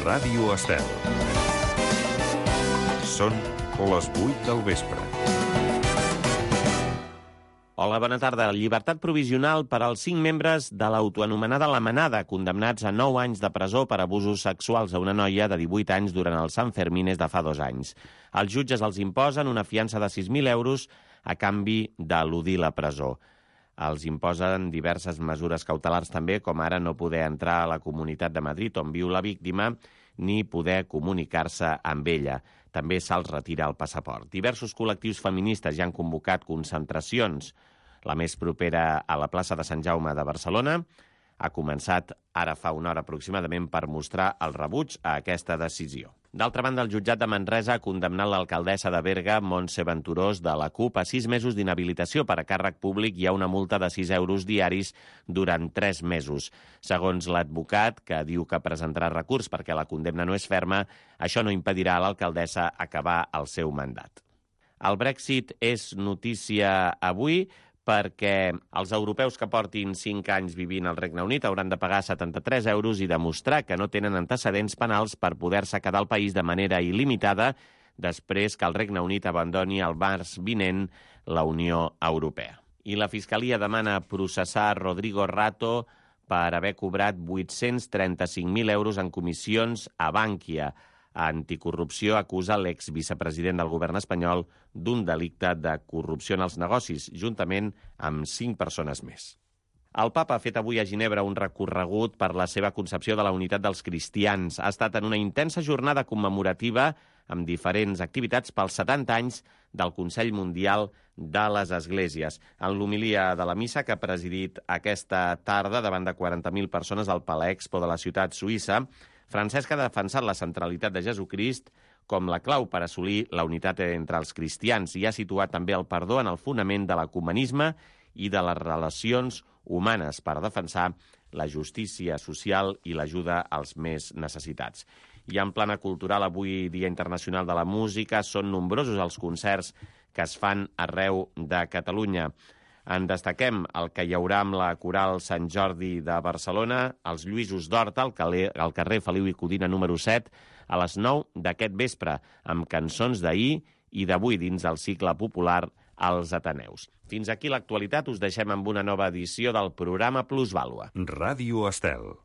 Ràdio Estel. Són les 8 del vespre. Hola, bona tarda. Llibertat provisional per als 5 membres de l'autoanomenada La Manada, condemnats a 9 anys de presó per abusos sexuals a una noia de 18 anys durant el Sant Fermines de fa 2 anys. Els jutges els imposen una fiança de 6.000 euros a canvi d'eludir la presó. Els imposen diverses mesures cautelars també, com ara no poder entrar a la Comunitat de Madrid on viu la víctima ni poder comunicar-se amb ella. També se'ls retira el passaport. Diversos col·lectius feministes ja han convocat concentracions. La més propera a la plaça de Sant Jaume de Barcelona ha començat ara fa una hora aproximadament per mostrar el rebuig a aquesta decisió. D'altra banda, el jutjat de Manresa ha condemnat l'alcaldessa de Berga, Montse Venturós, de la CUP, a 6 mesos d'inhabilitació per a càrrec públic i a una multa de 6 euros diaris durant 3 mesos. Segons l'advocat, que diu que presentarà recurs perquè la condemna no és ferma, això no impedirà a l'alcaldessa acabar el seu mandat. El Brexit és notícia avui perquè els europeus que portin 5 anys vivint al Regne Unit hauran de pagar 73 euros i demostrar que no tenen antecedents penals per poder-se quedar al país de manera il·limitada després que el Regne Unit abandoni el març vinent la Unió Europea. I la Fiscalia demana processar Rodrigo Rato per haver cobrat 835.000 euros en comissions a Bankia. Anticorrupció acusa l'exvicepresident del govern espanyol d'un delicte de corrupció en els negocis, juntament amb 5 persones més. El papa ha fet avui a Ginebra un recorregut per la seva concepció de la unitat dels cristians. Ha estat en una intensa jornada commemorativa amb diferents activitats pels 70 anys del Consell Mundial de les Esglésies. En l'homilia de la missa que ha presidit aquesta tarda davant de 40.000 persones al Palais Expo de la ciutat suïssa, Francesc ha defensat la centralitat de Jesucrist com la clau per assolir la unitat entre els cristians i ha situat també el perdó en el fonament de l'ecumenisme i de les relacions humanes per defensar la justícia social i l'ajuda als més necessitats. I en plana cultural, avui Dia Internacional de la Música, són nombrosos els concerts que es fan arreu de Catalunya. En destaquem el que hi haurà amb la Coral Sant Jordi de Barcelona, els Lluïsos d'Horta, al carrer Feliu i Codina número 7, a les 9 d'aquest vespre, amb cançons d'ahir i d'avui dins del cicle popular als Ateneus. Fins aquí l'actualitat, us deixem amb una nova edició del programa Plusvàlua. Ràdio Estel.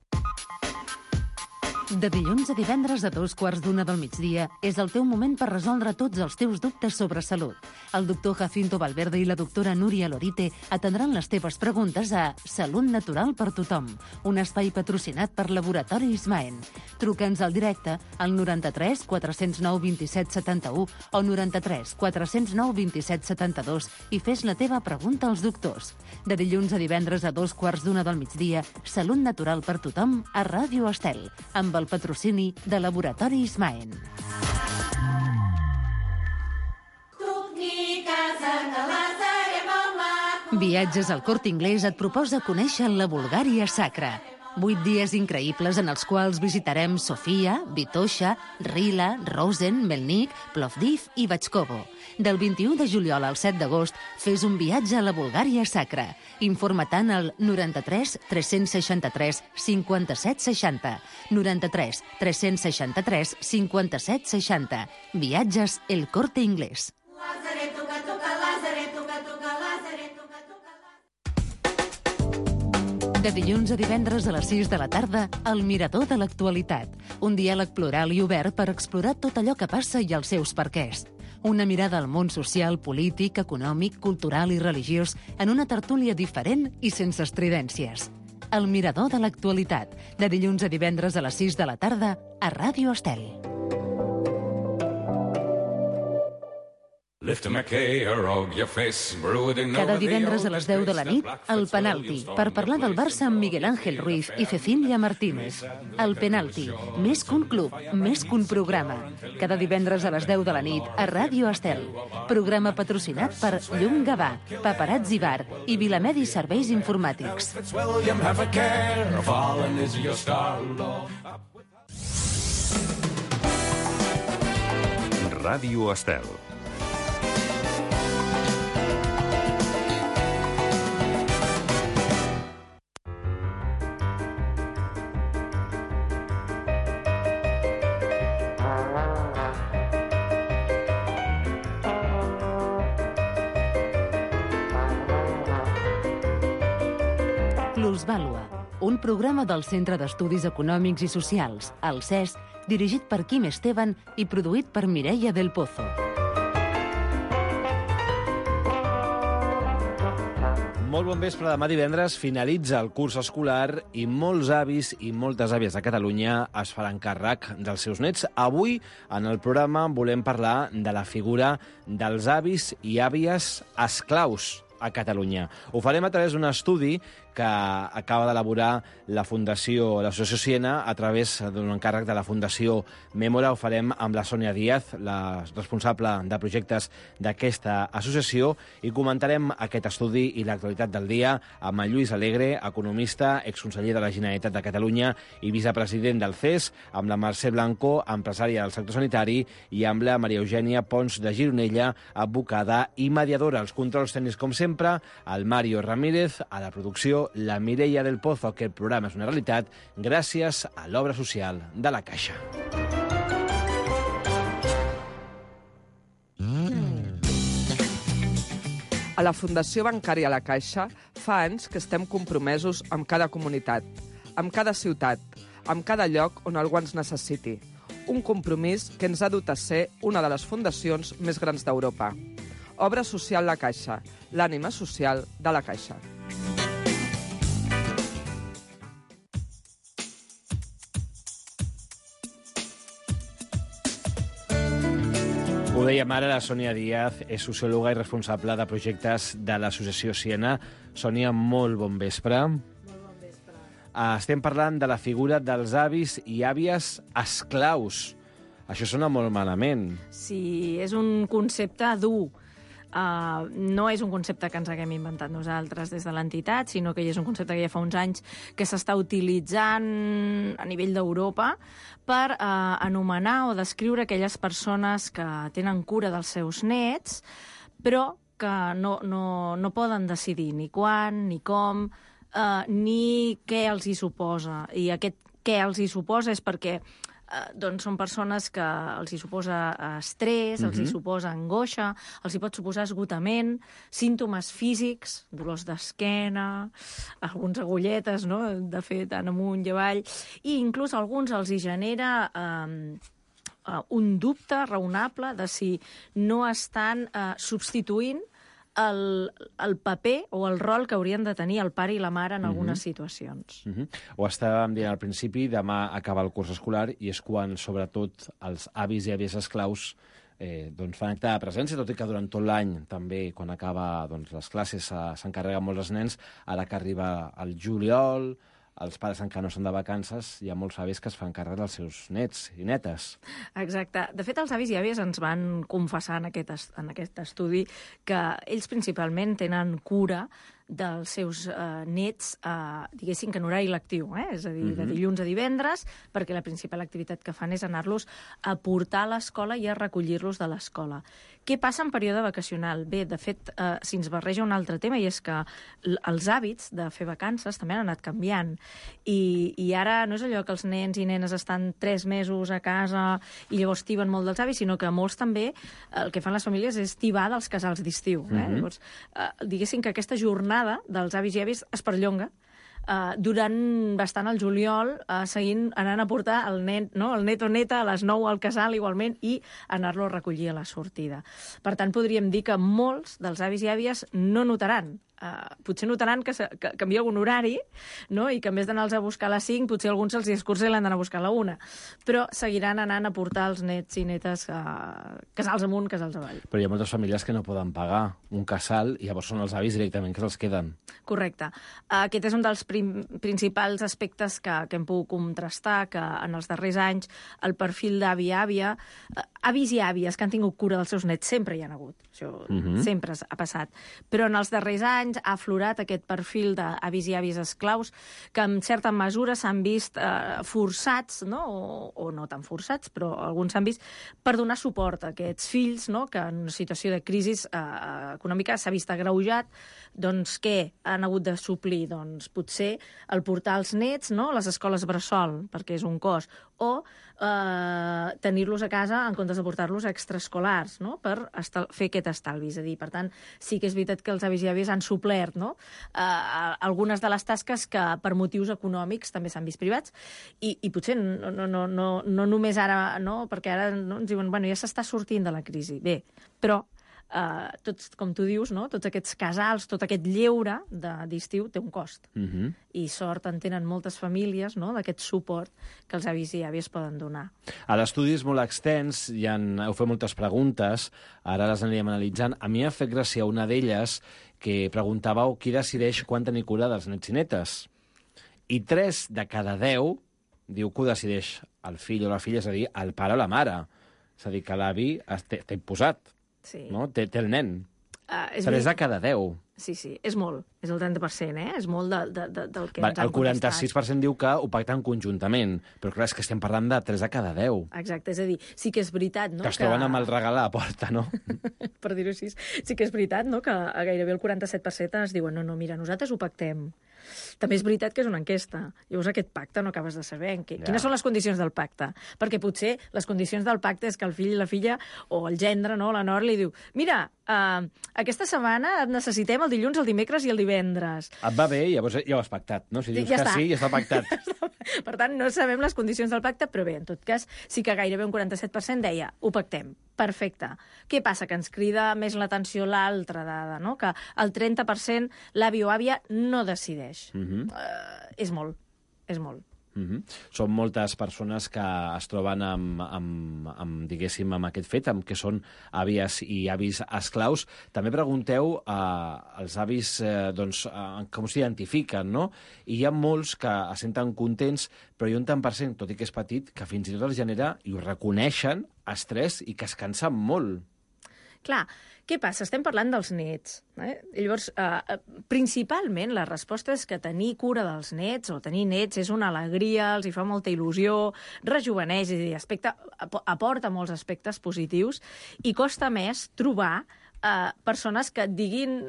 De dilluns a divendres a 2:15 del migdia és el teu moment per resoldre tots els teus dubtes sobre salut. El doctor Jacinto Valverde i la doctora Núria Lorite atendran les teves preguntes a Salut Natural per Tothom, un espai patrocinat per Laboratori Ismaen. Truca'ns al directe al 93 409 27 71 o 93 409 27 72 i fes la teva pregunta als doctors. De dilluns a divendres a 2:15 del migdia, Salut Natural per Tothom a Ràdio Estel, amb el patrocini de Laboratori Ismaen. Viatges al Corte Inglés et proposa conèixer la Bulgària sacra. 8 dies increïbles en els quals visitarem Sofia, Vitoša, Rila, Rosen, Melnik, Plovdiv i Batxkovo. Del 21 de juliol al 7 d'agost, fes un viatge a la Bulgària sacra. Informa-te'n al 93 363 57 60. 93 363 57 60. Viatges El Corte Inglés. De dilluns a divendres a les 6 de la tarda, El Mirador de l'Actualitat. Un diàleg plural i obert per explorar tot allò que passa i els seus perquès. Una mirada al món social, polític, econòmic, cultural i religiós en una tertúlia diferent i sense estridències. El Mirador de l'Actualitat. De dilluns a divendres a les 6 de la tarda a Ràdio Estel. Cada divendres a les 10 de la nit, El Penalti, per parlar del Barça amb Miguel Ángel Ruiz i Cecília Martínez. El Penalti, més que un club, més que un programa. Cada divendres a les 10 de la nit a Ràdio Estel. Programa patrocinat per Llum Gavà, Paparazzi Bar i Vilamedi Serveis Informàtics. Ràdio Estel. Plusvàlua, un programa del Centre d'Estudis Econòmics i Socials, el CES, dirigit per Quim Esteban i produït per Mireia del Pozo. Molt bon vespre. Demà divendres finalitza el curs escolar i molts avis i moltes àvies de Catalunya es faran càrrec dels seus nets. Avui, en el programa, volem parlar de la figura dels avis i àvies esclaus a Catalunya. Ho farem a través d'un estudi que acaba d'elaborar l'Associació Siena a través d'un encàrrec de la Fundació Mémora. Ho farem amb la Sònia Díaz, la responsable de projectes d'aquesta associació, i comentarem aquest estudi i l'actualitat del dia amb en Lluís Alegre, economista, exconseller de la Generalitat de Catalunya i vicepresident del CES, amb la Mercè Blanco, empresària del sector sanitari, i amb la Maria Eugènia Pons de Gironella, advocada i mediadora. Els controls tècnics, com sempre, el Mario Ramírez, a la producció la Mireia del Pozo. Aquest programa és una realitat gràcies a l'obra social de la Caixa. A la Fundació Bancària La Caixa fa anys que estem compromesos amb cada comunitat, amb cada ciutat, amb cada lloc on algú ens necessiti. Un compromís que ens ha dut a ser una de les fundacions més grans d'Europa. Obra social La Caixa, l'ànima social de la Caixa. Ho dèiem ara, la Sònia Díaz és sociòloga i responsable de projectes de l'Associació Siena. Sònia, molt bon vespre. Molt bon vespre. Estem parlant de la figura dels avis i àvies esclaus. Això sona molt malament. Sí, és un concepte dur. No és un concepte que ens haguem inventat nosaltres des de l'entitat, sinó que és un concepte que ja fa uns anys que s'està utilitzant a nivell d'Europa per anomenar o descriure aquelles persones que tenen cura dels seus nets, però que no poden decidir ni quan, ni com, ni què els hi suposa. I aquest què els hi suposa és perquè doncs són persones que els hi suposa estrès, els hi suposa angoixa, els hi pot suposar esgotament, símptomes físics, dolors d'esquena, alguns agulletes, no?, de fet, tant amunt i avall, i inclús a alguns els hi genera un dubte raonable de si no estan substituint el paper o el rol que haurien de tenir el pare i la mare en algunes situacions. Ho estàvem dient al principi, demà acaba el curs escolar i és quan, sobretot, els avis i àvies esclaus fan acte de presència, tot i que durant tot l'any també, quan acaba les classes, s'encarreguen molts els nens. Ara que arriba el juliol, els pares encara no són de vacances, hi ha molts avis que es fan càrrec dels seus nets i netes. Exacte. De fet, els avis i àvies ens van confessar en aquest estudi que ells principalment tenen cura dels seus nets, diguéssim que en horari lectiu, és a dir, de dilluns a divendres, perquè la principal activitat que fan és anar-los a portar a l'escola i a recollir-los de l'escola. Què passa en període vacacional? Bé, de fet, si ens barreja un altre tema, i és que els hàbits de fer vacances també han anat canviant. I ara no és allò que els nens i nenes estan 3 mesos a casa i llavors tiben molt dels avis, sinó que molts també, el que fan les famílies és tibar dels casals d'estiu. Llavors, diguéssim que aquesta jornada dels avis i àvies es perllonga durant bastant el juliol, seguint anant a portar el net o neta a les 9 al casal igualment i anar-lo a recollir a la sortida. Per tant, podríem dir que molts dels avis i àvies no notaran. Potser notaran que canvia algun horari, no?, i que en vez d'anar-los a buscar a les 5, potser alguns se'ls escurça i l'han d'anar a buscar a la 1. Però seguiran anant a portar els nets i netes casals amunt, casals avall. Però hi ha moltes famílies que no poden pagar un casal i llavors són els avis directament que se'ls queden. Correcte. Aquest és un dels principals aspectes que hem pogut contrastar, que en els darrers anys el perfil d'avi-àvia, avis i àvies que han tingut cura dels seus nets sempre hi han hagut. Això sempre ha passat. Però en els darrers anys ha aflorat aquest perfil d'avis i àvies esclaus que en certa mesura s'han vist forçats, no? O no tan forçats, però alguns s'han vist per donar suport a aquests fills, no?, que en una situació de crisi econòmica s'ha vist agreujat. Doncs què han hagut de suplir? Doncs potser el portar els nets, no?, a les escoles bressol, perquè és un cost, o tenir-los a casa en comptes de portar-los a extraescolars, no?, per fer aquest estalvi. És a dir, per tant, sí que és veritat que els avis i àvies han suplert, no?, algunes de les tasques que per motius econòmics també s'han vist privats, i potser no només ara, no?, perquè ara no, ens diuen, bueno, ja s'està sortint de la crisi. Bé, però tots, com tu dius, no?, tots aquests casals, tot aquest lleure d'estiu té un cost. I sort en tenen moltes famílies, no?, d'aquest suport que els avis i àvies poden donar. L'estudi és molt extens, heu fet moltes preguntes, ara les anirem analitzant. A mi ha fet gràcia una d'elles que preguntàveu qui decideix quan tenir cura dels nets i netes. I 3 de cada 10 diu que ho decideix el fill o la filla, és a dir, el pare o la mare. És a dir, que l'avi té imposat. Sí. No? Té el nen. 3 de cada 10. Sí, és molt. És el 30%, És molt del que ens han El 46% diu que ho pacten conjuntament, però clar, és que estem parlant de 3 de cada 10. Exacte, és a dir, sí que és veritat, no?, que es troben amb el regal a la porta, no? Per dir-ho així. Sí que és veritat, no?, que gairebé el 47% es diuen no, mira, nosaltres ho pactem. També és veritat que és una enquesta. Llavors aquest pacte no acabes de saber quines són les condicions del pacte. Perquè potser les condicions del pacte és que el fill i la filla, o el gendre, no?, la nora, li diu, mira, aquesta setmana et necessitem el dilluns, el dimecres i el divendres. Et va bé, llavors ja ho has pactat, no? Si dius ja que sí, ja està pactat. Per tant, no sabem les condicions del pacte, però bé, en tot cas, sí que gairebé un 47% deia, ho pactem. Perfecte. Què passa? Que ens crida més l'atenció l'altra dada, no?, que el 30% l'avi o àvia no decideix. És molt, és molt. Són moltes persones que es troben diguéssim, amb aquest fet, amb que són àvies i avis esclaus. També pregunteu als avis com s'identifiquen, no? I hi ha molts que es senten contents, però hi ha un tant per cent, tot i que és petit, que fins i tot els genera, i ho reconeixen, estrès i que es cansen molt. Clar, què passa? Estem parlant dels nets. Llavors, principalment, la resposta és que tenir cura dels nets o tenir nets és una alegria, els hi fa molta il·lusió, rejuveneix, és a dir, aporta molts aspectes positius i costa més trobar persones que et diguin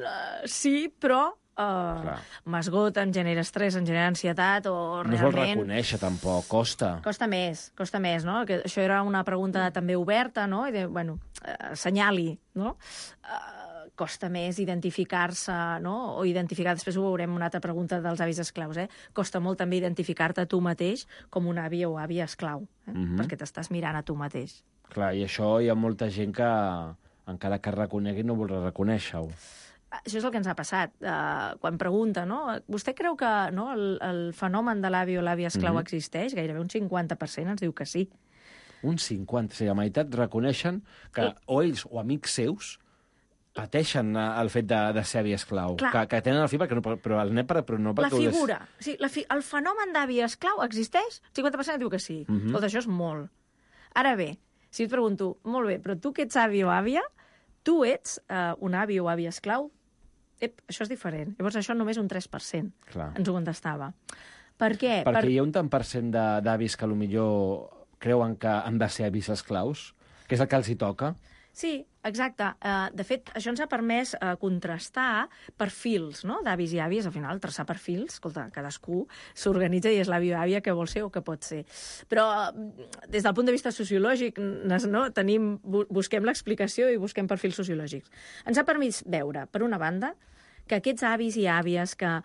sí, però m'esgoten, genera estrès, en genera ansietat o realment... No es vol reconèixer, tampoc, costa. Costa més, no? Que això era una pregunta també oberta, no? I bueno, assenyali, no? Costa més identificar-se, no? O identificar, després ho veurem, una altra pregunta dels avis esclaus, Costa molt també identificar-te tu mateix com un avi o àvia esclau, perquè t'estàs mirant a tu mateix. Clar, i això hi ha molta gent que, encara que reconegui, no vol reconèixer-ho. Això és el que ens ha passat. Quan pregunta, no? Vostè creu que el fenomen de l'avi o l'àvia esclau existeix? Gairebé un 50% ens diu que sí. Un 50%, o sigui, la meitat reconeixen que o ells o amics seus pateixen el fet de ser avi esclau. Que tenen el fill, però el net però no perquè... La figura. Sí, el fenomen d'avi esclau existeix? El 50% diu que sí. Tot això és molt. Ara bé, si et pregunto, molt bé, però tu que ets avi o àvia, tu ets un avi o àvia esclau? Això és diferent. Llavors, això només un 3% ens ho contestava. Per què? Perquè hi ha un tant per cent d'avis que potser creuen que han de ser avis esclaus, que és el que els hi toca. Sí, exacte. De fet, això ens ha permès contrastar perfils, no?, d'avis i àvies, al final, traçar perfils. Escolta, cadascú s'organitza i és l'avi o àvia que vol ser o que pot ser. Però, des del punt de vista sociològic, no, busquem l'explicació i busquem perfils sociològics. Ens ha permès veure, per una banda, que aquests avis i àvies que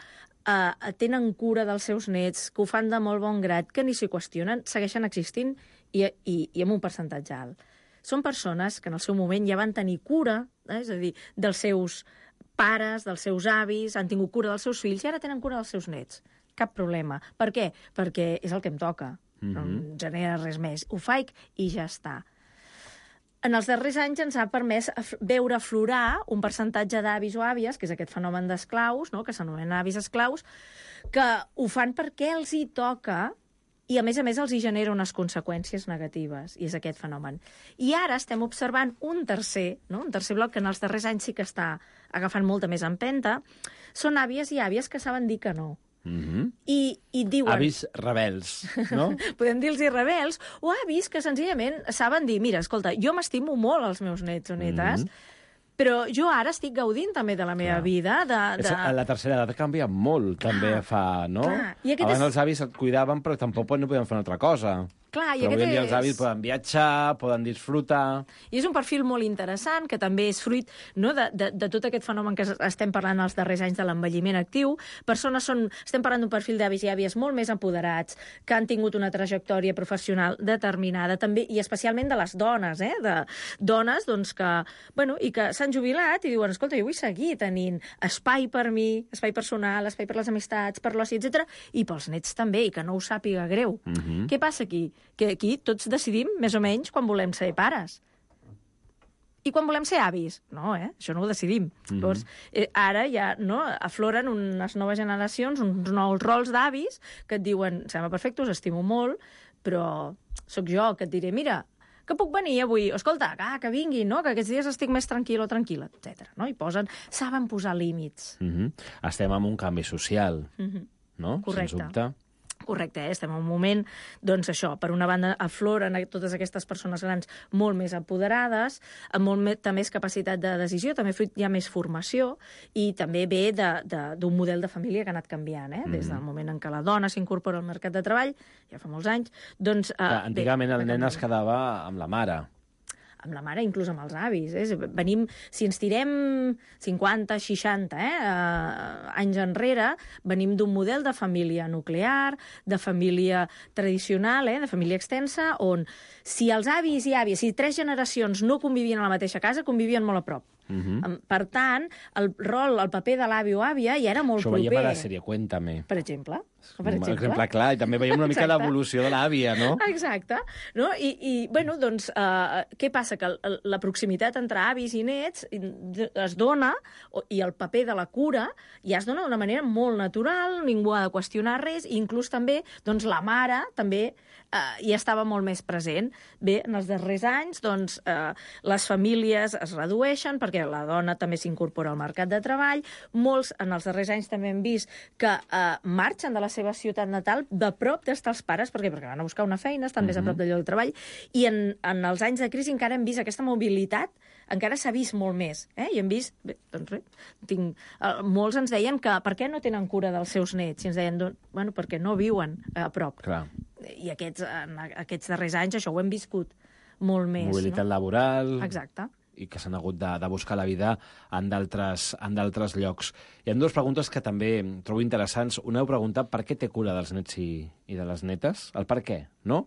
tenen cura dels seus nets, que ho fan de molt bon grat, que ni s'hi qüestionen, segueixen existint i amb un percentatge alt. Són persones que en el seu moment ja van tenir cura, és a dir, dels seus pares, dels seus avis, han tingut cura dels seus fills i ara tenen cura dels seus nets. Cap problema. Per què? Perquè és el que em toca. No em genera res més. Ho faig i ja està. En els darrers anys ens ha permès veure aflorar un percentatge d'avis o àvies, que és aquest fenomen d'esclaus, no?, que s'anomena avis esclaus, que ho fan perquè els hi toca i, a més, els hi genera unes conseqüències negatives, i és aquest fenomen. I ara estem observant un tercer bloc, que en els darrers anys sí que està agafant molta més empenta, són àvies i àvies que saben dir que no. I diuen... Avis rebels, no? Podem dir-los rebels, o avis que senzillament saben dir, mira, escolta, jo m'estimo molt els meus nets o netes, Però jo ara estic gaudint també de la meva vida. La tercera edat canvia molt, també fa, no? Clar. I Abans els avis et cuidaven, però tampoc no podien fer una altra cosa. Clar, però avui en dia els avis poden viatjar, poden disfrutar... I és un perfil molt interessant, que també és fruit, no, de tot aquest fenomen que estem parlant els darrers anys de l'envelliment actiu. Estem parlant d'un perfil d'avis i àvies molt més empoderats, que han tingut una trajectòria professional determinada, també, i especialment de les dones, de dones doncs, que, bueno, i que s'han jubilat i diuen, escolta, jo vull seguir tenint espai per mi, espai personal, espai per les amistats, per l'oci, etc. I pels nets també, i que no ho sàpiga greu. Què passa aquí? Que aquí tots decidim, més o menys, quan volem ser pares. I quan volem ser avis? No, això no ho decidim. Llavors, ara ja afloren unes noves generacions, uns nous rols d'avis que et diuen, sembla perfecte, us estimo molt, però sóc jo que et diré, mira, que puc venir avui? Escolta, que vingui, no? Que aquests dies estic més tranquil o tranquil·la, etc. No? I saben posar límits. Estem en un canvi social, no? Correcte. Sens dubte. Correcte, estem en un moment, doncs això, per una banda afloren totes aquestes persones grans molt més empoderades, amb molta més capacitat de decisió, també hi ha més formació, i també ve d'un model de família que ha anat canviant, des del moment en què la dona s'incorpora al mercat de treball, ja fa molts anys, doncs... Antigament el nen es quedava amb la mare. Amb la mare, inclús amb els avis. Venim, si ens tirem 50, 60 anys enrere, venim d'un model de família nuclear, de família tradicional, de família extensa, on si els avis i àvies, si 3 generacions no convivien a la mateixa casa, convivien molt a prop. Per tant, el paper de l'avi o àvia ja era molt proper. Això ho veiem a la sèrie Cuéntame. Per exemple. Un exemple clar, i també veiem una mica l'evolució de l'àvia, no? Exacte. No? I bueno, doncs, què passa? Que la proximitat entre avis i nets es dona, i el paper de la cura ja es dona d'una manera molt natural, ningú ha de qüestionar res, i inclús també doncs, la mare també hi estava molt més present. Bé, en els darrers anys, doncs, les famílies es redueixen perquè la dona també s'incorpora al mercat de treball. Molts, en els darrers anys, també hem vist que marxen de la seva ciutat natal de prop d'estar els pares, perquè van a buscar una feina, estan més a prop del lloc de treball, i en els anys de crisi encara hem vist aquesta mobilitat, encara s'ha vist molt més. I hem vist, bé, doncs molts ens deien que per què no tenen cura dels seus nets? I ens deien, bueno, perquè no viuen a prop. Clar. I aquests darrers anys això ho hem viscut molt més. Mobilitat laboral... Exacte. I que s'han hagut de buscar la vida en d'altres llocs. Hi ha 2 preguntes que també trobo interessants. Una heu preguntat per què té cura dels nets i de les netes, el per què, no?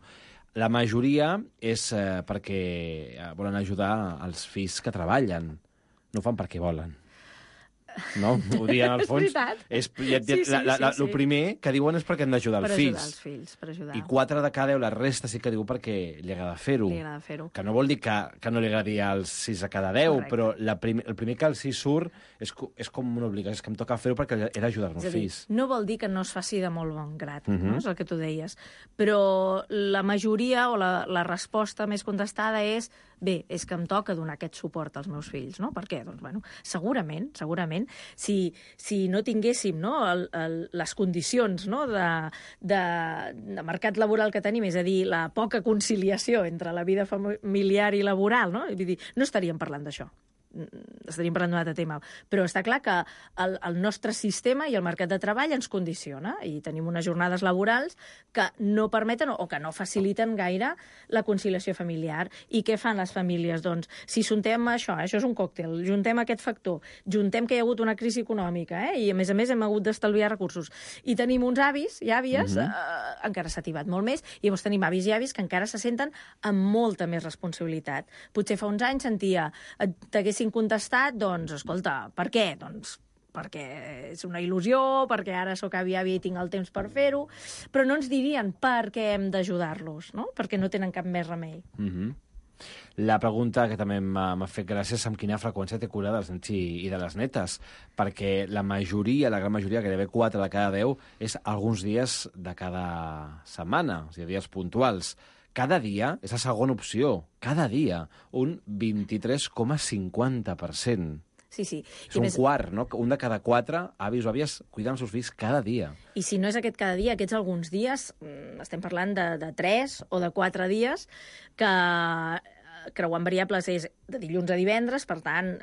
La majoria és perquè volen ajudar els fills que treballen. No ho fan perquè volen. No? Ho diuen al fons. És veritat. El primer que diuen és perquè han d'ajudar els fills. Per ajudar els fills, per ajudar. I 4 de cada 10, la resta sí que diu perquè li agrada fer-ho. Li agrada fer-ho. Que no vol dir que no li agradi als 6 de cada 10, correcte. Però el primer que els 6 surt és com una obligació, és que em toca fer-ho perquè he d'ajudar els fills. No vol dir que no es faci de molt bon grat, no? És el que tu deies. Però la majoria o la resposta més contestada és bé, és que em toca donar aquest suport als meus fills, no? Per què? Doncs, bueno, segurament, si no tinguéssim les condicions de mercat laboral que tenim, és a dir, la poca conciliació entre la vida familiar i laboral, no? Vull dir, no estaríem parlant d'això. Estaríem parlant d'un altre tema, però està clar que el nostre sistema i el mercat de treball ens condiciona i tenim unes jornades laborals que no permeten o que no faciliten gaire la conciliació familiar. I què fan les famílies? Doncs, si juntem això és un còctel, juntem aquest factor, juntem que hi ha hagut una crisi econòmica i, a més hem hagut d'estalviar recursos, i tenim uns avis i àvies, encara s'ha tibat molt més, i llavors tenim avis i àvies que encara se senten amb molta més responsabilitat. Potser fa uns anys sentia, t'haguessin contestat, doncs, escolta, per què? Doncs perquè és una il·lusió, perquè ara sóc àvia i tinc el temps per fer-ho, però no ens dirien per què hem d'ajudar-los, no? Perquè no tenen cap més remei. La pregunta que també m'ha fet gràcia és amb quina freqüència té cura dels nets i de les netes, perquè la gran majoria, gairebé 4 de cada 10, és alguns dies de cada setmana, o sigui, dies puntuals. Cada dia és la segona opció, cada dia, un 23,50%. Sí. És un quart, no? Un de cada 4 avis o àvies cuiden els seus fills cada dia. I si no és aquest cada dia, aquests alguns dies, estem parlant de 3 o de 4 dies, que creuant variables és de dilluns a divendres, per tant,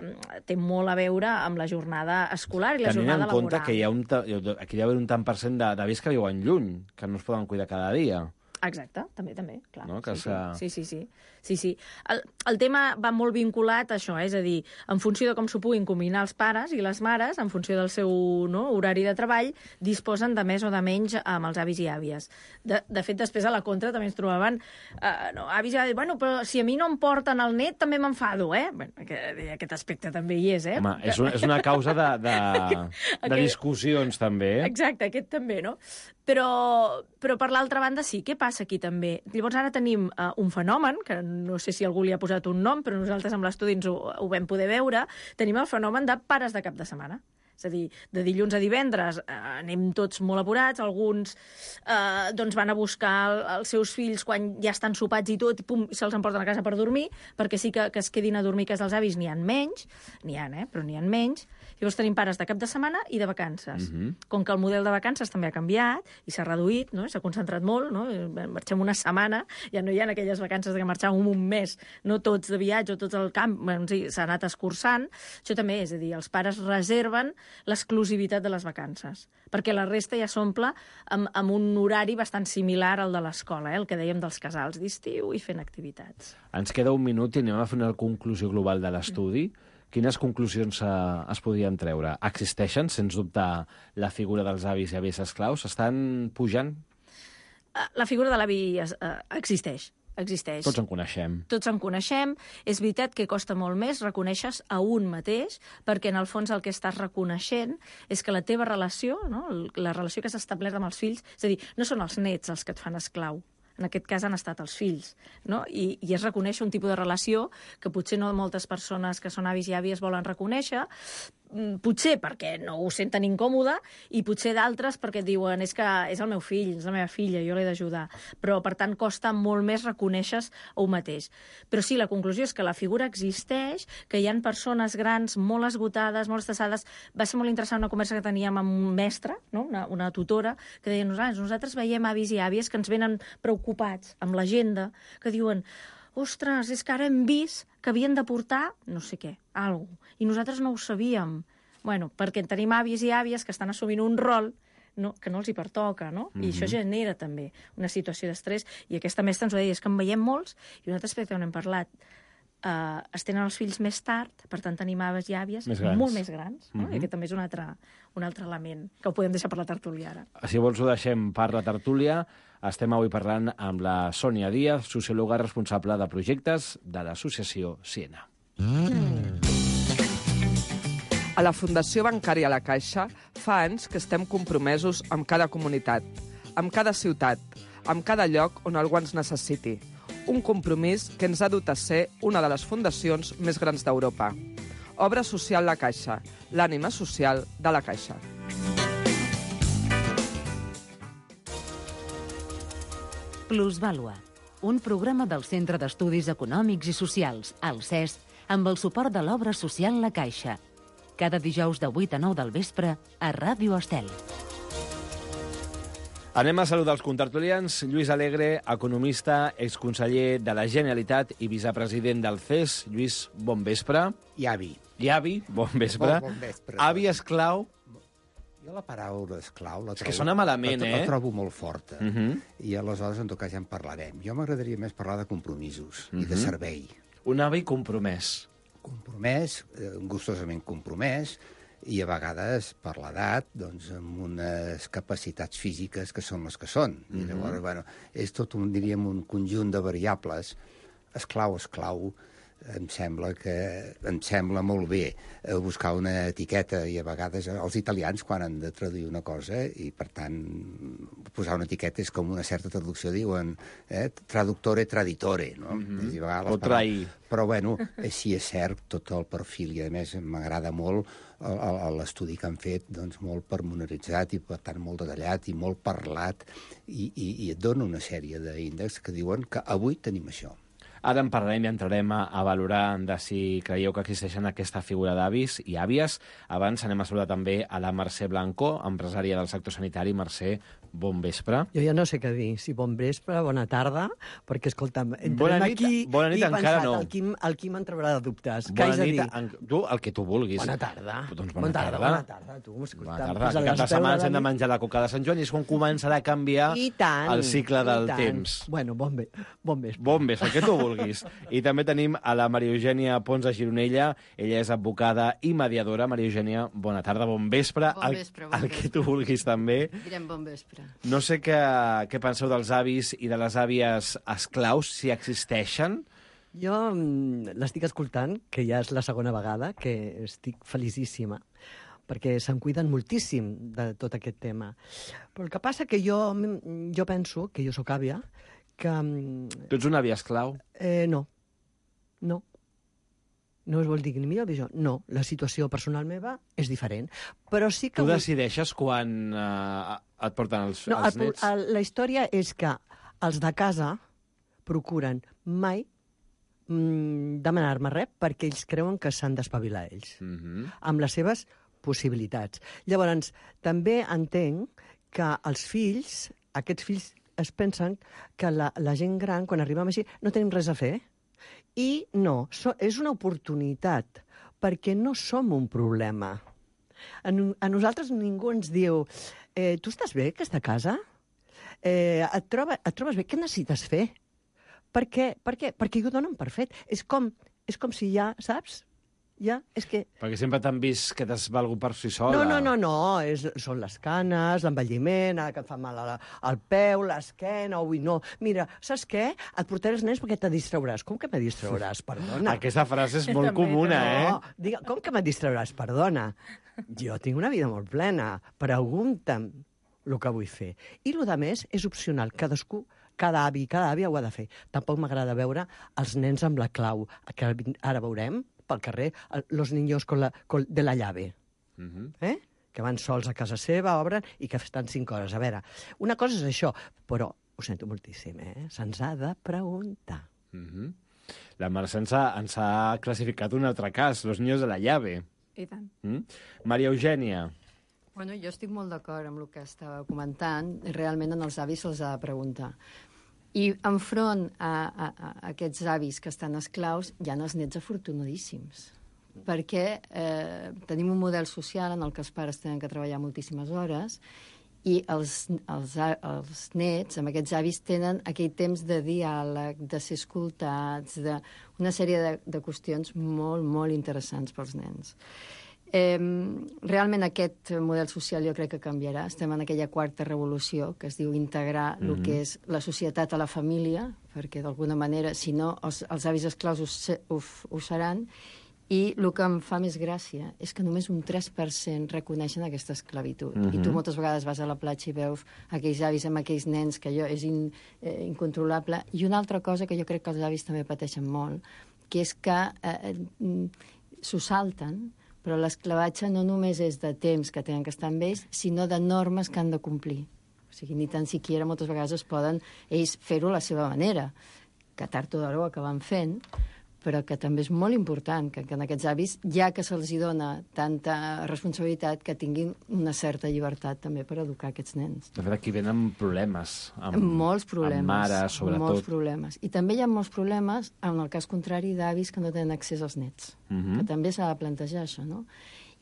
té molt a veure amb la jornada escolar i la jornada laboral. Tenint en compte que aquí hi ha un tant per cent d'avis que viuen lluny, que no es poden cuidar cada dia. Exacte, també, clar. No? Sí. El tema va molt vinculat a això, és a dir, en funció de com s'ho puguin combinar els pares i les mares, en funció del seu horari de treball, disposen de més o de menys amb els avis i àvies. De fet, després a la contra també ens trobaven avis i àvies, bueno, però si a mi no em porten el net també m'enfado, eh? Bueno, aquest aspecte també hi és, eh? Home, és una causa de discussions, també. Exacte, aquest també, no? Però per l'altra banda sí, què passa aquí també? Llavors ara tenim un fenomen, que no sé si algú li ha posat un nom, però nosaltres amb l'estudi ho vam poder veure, tenim el fenomen de pares de cap de setmana. És a dir, de dilluns a divendres anem tots molt apurats, alguns doncs van a buscar els seus fills quan ja estan sopats i tot, i pum, se'ls emporten a casa per dormir, perquè sí que es quedin a dormir a casa dels avis n'hi ha menys, però n'hi ha menys. Llavors tenim pares de cap de setmana i de vacances. Com que el model de vacances també ha canviat i s'ha reduït, no? S'ha concentrat molt, no? Marxem una setmana, ja no hi ha aquelles vacances que marxàvem un mes, no tots de viatge o tots al camp, sí, s'ha anat escurçant. Això també és a dir, els pares reserven l'exclusivitat de les vacances, perquè la resta ja s'omple amb un horari bastant similar al de l'escola, el que dèiem dels casals d'estiu i fent activitats. Ens queda un minut i anem a fer una conclusió global de l'estudi. Quines conclusions es podrien treure? Existeixen, sens dubte, la figura dels avis i àvies esclaus? Estan pujant? La figura de l'avi existeix. Tots en coneixem. Tots en coneixem. És veritat que costa molt més reconèixer a un mateix, perquè en el fons el que estàs reconeixent és que la teva relació, no? La relació que s'ha establert amb els fills, és a dir, no són els nets els que et fan esclau, en aquest cas han estat els fills, no? I es reconeix un tipus de relació que potser no moltes persones que són avis i àvies volen reconèixer, potser perquè no ho senten incòmode i potser d'altres perquè diuen és que és el meu fill, és la meva filla, jo l'he d'ajudar. Però, per tant, costa molt més reconèixer un mateix. Però sí, la conclusió és que la figura existeix, que hi ha persones grans molt esgotades, molt estressades. Va ser molt interessant una conversa que teníem amb un mestre, no? una tutora, que deia nosaltres veiem avis i àvies que ens venen preocupats amb l'agenda, que diuen ostres, és que ara hem vist que havien de portar no sé què, alguna cosa, i nosaltres no ho sabíem. Bueno, perquè tenim àvies i àvies que estan assumint un rol que no els hi pertoca, no? I això genera també una situació d'estrès. I aquesta mestra ens ho deia, és que en veiem molts, i un altre aspecte on hem parlat, es tenen els fills més tard, per tant tenim avis i àvies molt més grans, no? I aquest també és un altre element que ho podem deixar per la tertúlia ara. Si vols ho deixem per la tertúlia. Estem avui parlant amb la Sònia Díaz, sociòloga responsable de projectes de l'associació Siena. A la Fundació Bancària La Caixa fa anys que estem compromesos amb cada comunitat, amb cada ciutat, amb cada lloc on algú ens necessiti. Un compromís que ens ha dut a ser una de les fundacions més grans d'Europa. Obra Social La Caixa, l'ànima social de la Caixa. Plusvàlua, un programa del Centre d'Estudis Econòmics i Socials, el CES, amb el suport de l'obra social La Caixa. Cada dijous de 8 a 9 del vespre a Ràdio Estel. Anem a saludar els contertulians. Lluís Alegre, economista, exconseller de la Generalitat i vicepresident del CES. Lluís, bon vespre. I avi. Bon vespre. Bon vespre. Avi esclau. Jo la paraula esclau la trobo... És que sona malament, la trobo molt forta. I aleshores, en tot cas, ja en parlarem. Jo m'agradaria més parlar de compromisos i de servei. Un avi compromès. Compromès, gustosament compromès, i a vegades, per l'edat, doncs, amb unes capacitats físiques que són les que són. I llavors, bueno, és tot, diríem, un conjunt de variables. Esclau, em sembla molt bé buscar una etiqueta, i a vegades els italians, quan han de traduir una cosa, i per tant posar una etiqueta és com una certa traducció, diuen traductore, traditore, no? O trair. Però, bueno, sí és cert, tot el perfil, i a més m'agrada molt l'estudi que han fet, doncs molt pormenoritzat i, per tant, molt detallat i molt parlat, i et dona una sèrie d'índexs que diuen que avui tenim això. Ara en parlarem i entrarem a valorar de si creieu que existeixen aquesta figura d'avis i àvies. Abans anem a saludar també a la Mercè Blanco, empresària del sector sanitari. Mercè, bon vespre. Jo ja no sé què dir, si bon vespre, bona tarda, perquè, escolta'm, Bona nit encara no. El Quim en traurà de dubtes. Què Bona haig de nit, dir? tu, el que tu vulguis. Bona tarda. Doncs Bona tarda, tu. Bona tarda. Aquest cap de setmana hem de menjar la coca de Sant Joan i és quan començarà a canviar el cicle del temps. Bueno, bon vespre. Bon vespre, el que tu vulguis. I també tenim a la Maria Eugènia Pons de Gironella. Ella és advocada i mediadora. Maria Eugènia, bona tarda, bon vespre. Bon vespre, el que tu vulguis també. Direm bon vespre. No sé què penseu dels avis i de les àvies esclaus, si existeixen. Jo l'estic escoltant, que ja és la segona vegada, que estic felicíssima, perquè se'n cuiden moltíssim de tot aquest tema. Però el que passa que jo penso, que jo sóc àvia, que... Tu ets una àvia esclau? No. No es vol dir ni millor ni pitjor. No, la situació personal meva és diferent. Però sí que... Tu decideixes quan et porten els nets? La història és que els de casa procuren mai demanar-me res perquè ells creuen que s'han d'espavilar ells, amb les seves possibilitats. Llavors, també entenc que els fills, aquests fills es pensen que la gent gran, quan arribem així, no tenim res a fer. I no, és una oportunitat, perquè no som un problema. A nosaltres ningú ens diu tu estàs bé, aquesta casa? Et trobes bé? Què necessites fer? Per què? Perquè ho donen per fet. És com si ja, saps? Ja, és que... Perquè sempre t'han vist que t'has valgut per si sola. No. Són les canes, l'envelliment, ara que et fa mal al peu, l'esquena, no. Mira, saps què? Et portaré els nens perquè te distrauràs. Com que me distrauràs? Perdona. Aquesta frase és molt comuna, eh? Com que me distrauràs? Perdona. Jo tinc una vida molt plena. Pregunta'm el que vull fer. I el que més és opcional. Cadascú, cada avi i cada àvia ho ha de fer. Tampoc m'agrada veure els nens amb la clau, que ara veurem pel carrer, los niños de la llave. Que van sols a casa seva, obren, i que estan 5 hores. A veure, una cosa és això, però ho sento moltíssim, se'ns ha de preguntar. La Mercè ens ha classificat un altre cas, los niños de la llave. I tant. Maria Eugènia. Bueno, jo estic molt d'acord amb el que estava comentant. Realment en els avis se'ls ha de preguntar. I enfront a aquests avis que estan esclaus hi ha els nets afortunadíssims, perquè tenim un model social en el que els pares tenen que treballar moltíssimes hores i els nets, amb aquests avis, tenen aquell temps de diàleg, de ser escoltats, una sèrie de qüestions molt, molt interessants pels nens. Realment aquest model social jo crec que canviarà. Estem en aquella quarta revolució que es diu integrar el que és la societat a la família, perquè d'alguna manera, si no, els avis esclaus ho seran, i el que em fa més gràcia és que només un 3% reconeixen aquesta esclavitud. I tu moltes vegades vas a la platja i veus aquells avis amb aquells nens que allò és incontrolable. I una altra cosa que jo crec que els avis també pateixen molt, que és que s'ho salten, però l'esclavatge no només és de temps que tenen que estar amb ells, sinó de normes que han de complir. O sigui, ni tan siquiera moltes vegades es poden ells fer-ho a la seva manera, que tard o d'hora ho acaben fent, però que també és molt important que en aquests avis, ja que se'ls dona tanta responsabilitat, que tinguin una certa llibertat també per educar aquests nens. De fet, aquí venen problemes. Molts problemes. Amb mares, sobretot. Molts problemes. I també hi ha molts problemes en el cas contrari d'avis que no tenen accés als nets. Que també s'ha de plantejar això, no?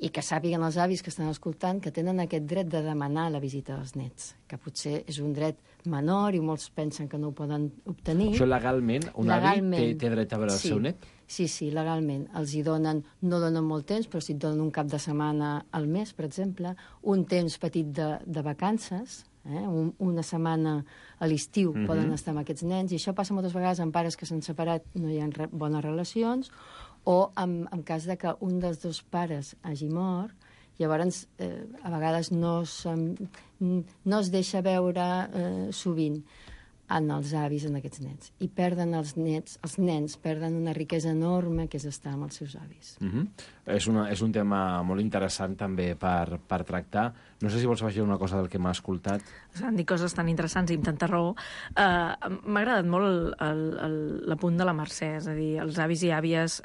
I que sàpiguen els avis que estan escoltant que tenen aquest dret de demanar la visita dels nets, que potser és un dret menor i molts pensen que no ho poden obtenir. Això legalment? Un avi té dret a veure el seu net? Sí, legalment. Els hi donen, no donen molt temps, però si et donen un cap de setmana al mes, per exemple, un temps petit de vacances, una setmana a l'estiu poden estar amb aquests nens, i això passa moltes vegades amb pares que s'han separat, no hi ha bones relacions, o en cas de que un dels dos pares hagi mort, llavors a vegades no es deixa veure sovint en els avis, en aquests nets. I perden els nens perden una riquesa enorme que és estar amb els seus avis. És un tema molt interessant també per tractar. No sé si vols afegir una cosa del que m'ha escoltat. S'han dit coses tan interessants i amb tanta raó. M'ha agradat molt l'apunt de la Mercè, és a dir, els avis i àvies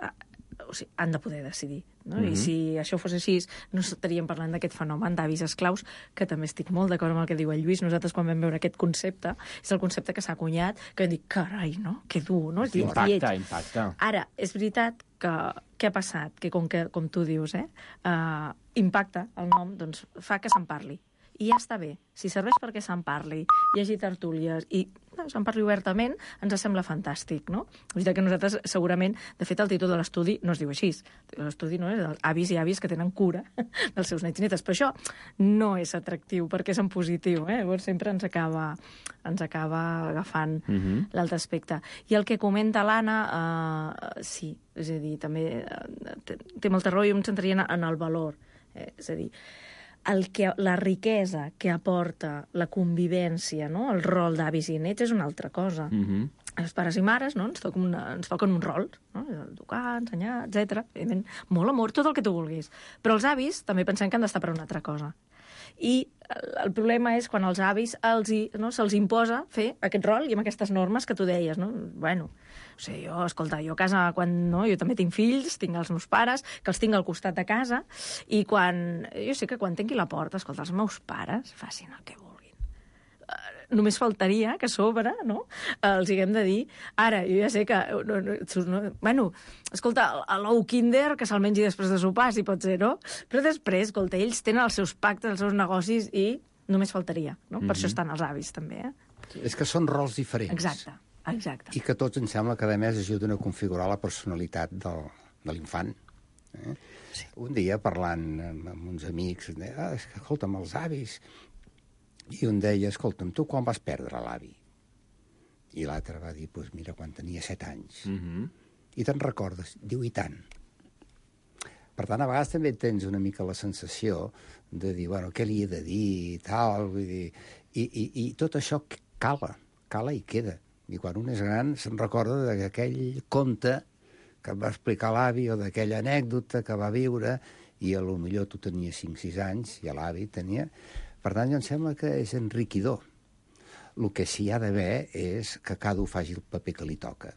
o sigui, han de poder decidir. No? I si això fos així, no estaríem parlant d'aquest fenomen d'avis esclaus, que també estic molt d'acord amb el que diu el Lluís. Nosaltres, quan vam veure aquest concepte, és el concepte que s'ha acunyat, que vam dir, carai, no? Que dur, no? Impacta. Ara, és veritat que què ha passat? Que com tu dius, impacta el nom, doncs fa que se'n parli. I ja està bé. Si serveix perquè se'n parli, hi hagi tertúlies i se'n parli obertament, ens sembla fantàstic, no? És veritat que nosaltres, segurament, de fet, el títol de l'estudi no es diu així. L'estudi no és avis i àvies que tenen cura dels seus nets i netes. Però això no és atractiu perquè és en positiu, Llavors sempre ens acaba agafant l'altre aspecte. I el que comenta l'Anna, sí, és a dir, també té molta raó i em centraria en el valor. És a dir, la riquesa que aporta la convivència, no? El rol d'avis i nets és una altra cosa. Els pares i mares, no? ens toquen un rol, no? Educar, ensenyar, etc. Evidentment, molt amor, tot el que tu vulguis. Però els avis també pensem que han d'estar per una altra cosa. I el problema és quan als avis se'ls imposa fer aquest rol i amb aquestes normes que tu deies, no? Bueno, o sigui, jo a casa, jo també tinc fills, tinc els meus pares, que els tinc al costat de casa, i jo sé que quan tanqui la porta, escolta, els meus pares facin el que vulguin. Només faltaria que a sobre, no?, els haguem de dir, ara, jo ja sé que... escolta, l'ou Kinder, que se'l mengi després de sopar, si pot ser, no? Però després, escolta, ells tenen els seus pactes, els seus negocis, i només faltaria, no? Per això estan els avis, també, És que són rols diferents. Exacte. I que tots, em sembla, que a més ajuden a configurar la personalitat de l'infant. Sí. Un dia, parlant amb uns amics, escolta'm, els avis... I un deia, escolta'm, tu quan vas perdre l'avi? I l'altre va dir, doncs mira, quan tenia 7 anys. I te'n recordes? Diu, i tant. Per tant, a vegades també tens una mica la sensació de dir, bueno, què li he de dir i tal, vull dir... I tot això cala i queda. I quan un és gran se'n recorda d'aquell conte que em va explicar l'avi o d'aquella anècdota que va viure i potser tu tenies 5-6 anys i l'avi tenia... Per tant, em sembla que és enriquidor. El que sí hi ha d'haver és que cada un faci el paper que li toca.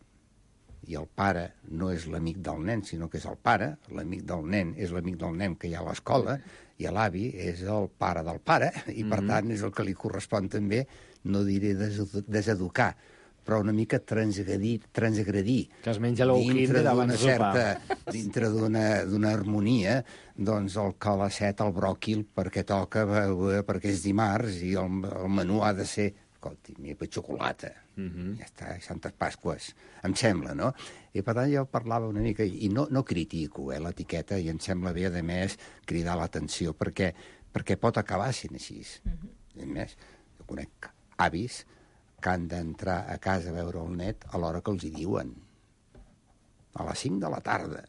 I el pare no és l'amic del nen, sinó que és el pare. L'amic del nen és l'amic del nen que hi ha a l'escola, i l'avi és el pare del pare, i per tant és el que li correspon també, no diré deseducar, però una mica transgredir. Que es menja l'ou Kinder abans de sopar. Dintre d'una harmonia, doncs el calacet, el bròquil, perquè toca, perquè és dimarts, i el menú ha de ser, escolti, per xocolata. Ja està, Santes Pasques, em sembla, no? I per tant jo parlava una mica, i no critico l'etiqueta, i em sembla bé, a més, cridar l'atenció, perquè pot acabar sent així. A més, jo conec avis que han d'entrar a casa a veure el net a l'hora que els hi diuen. A les 5 de la tarda.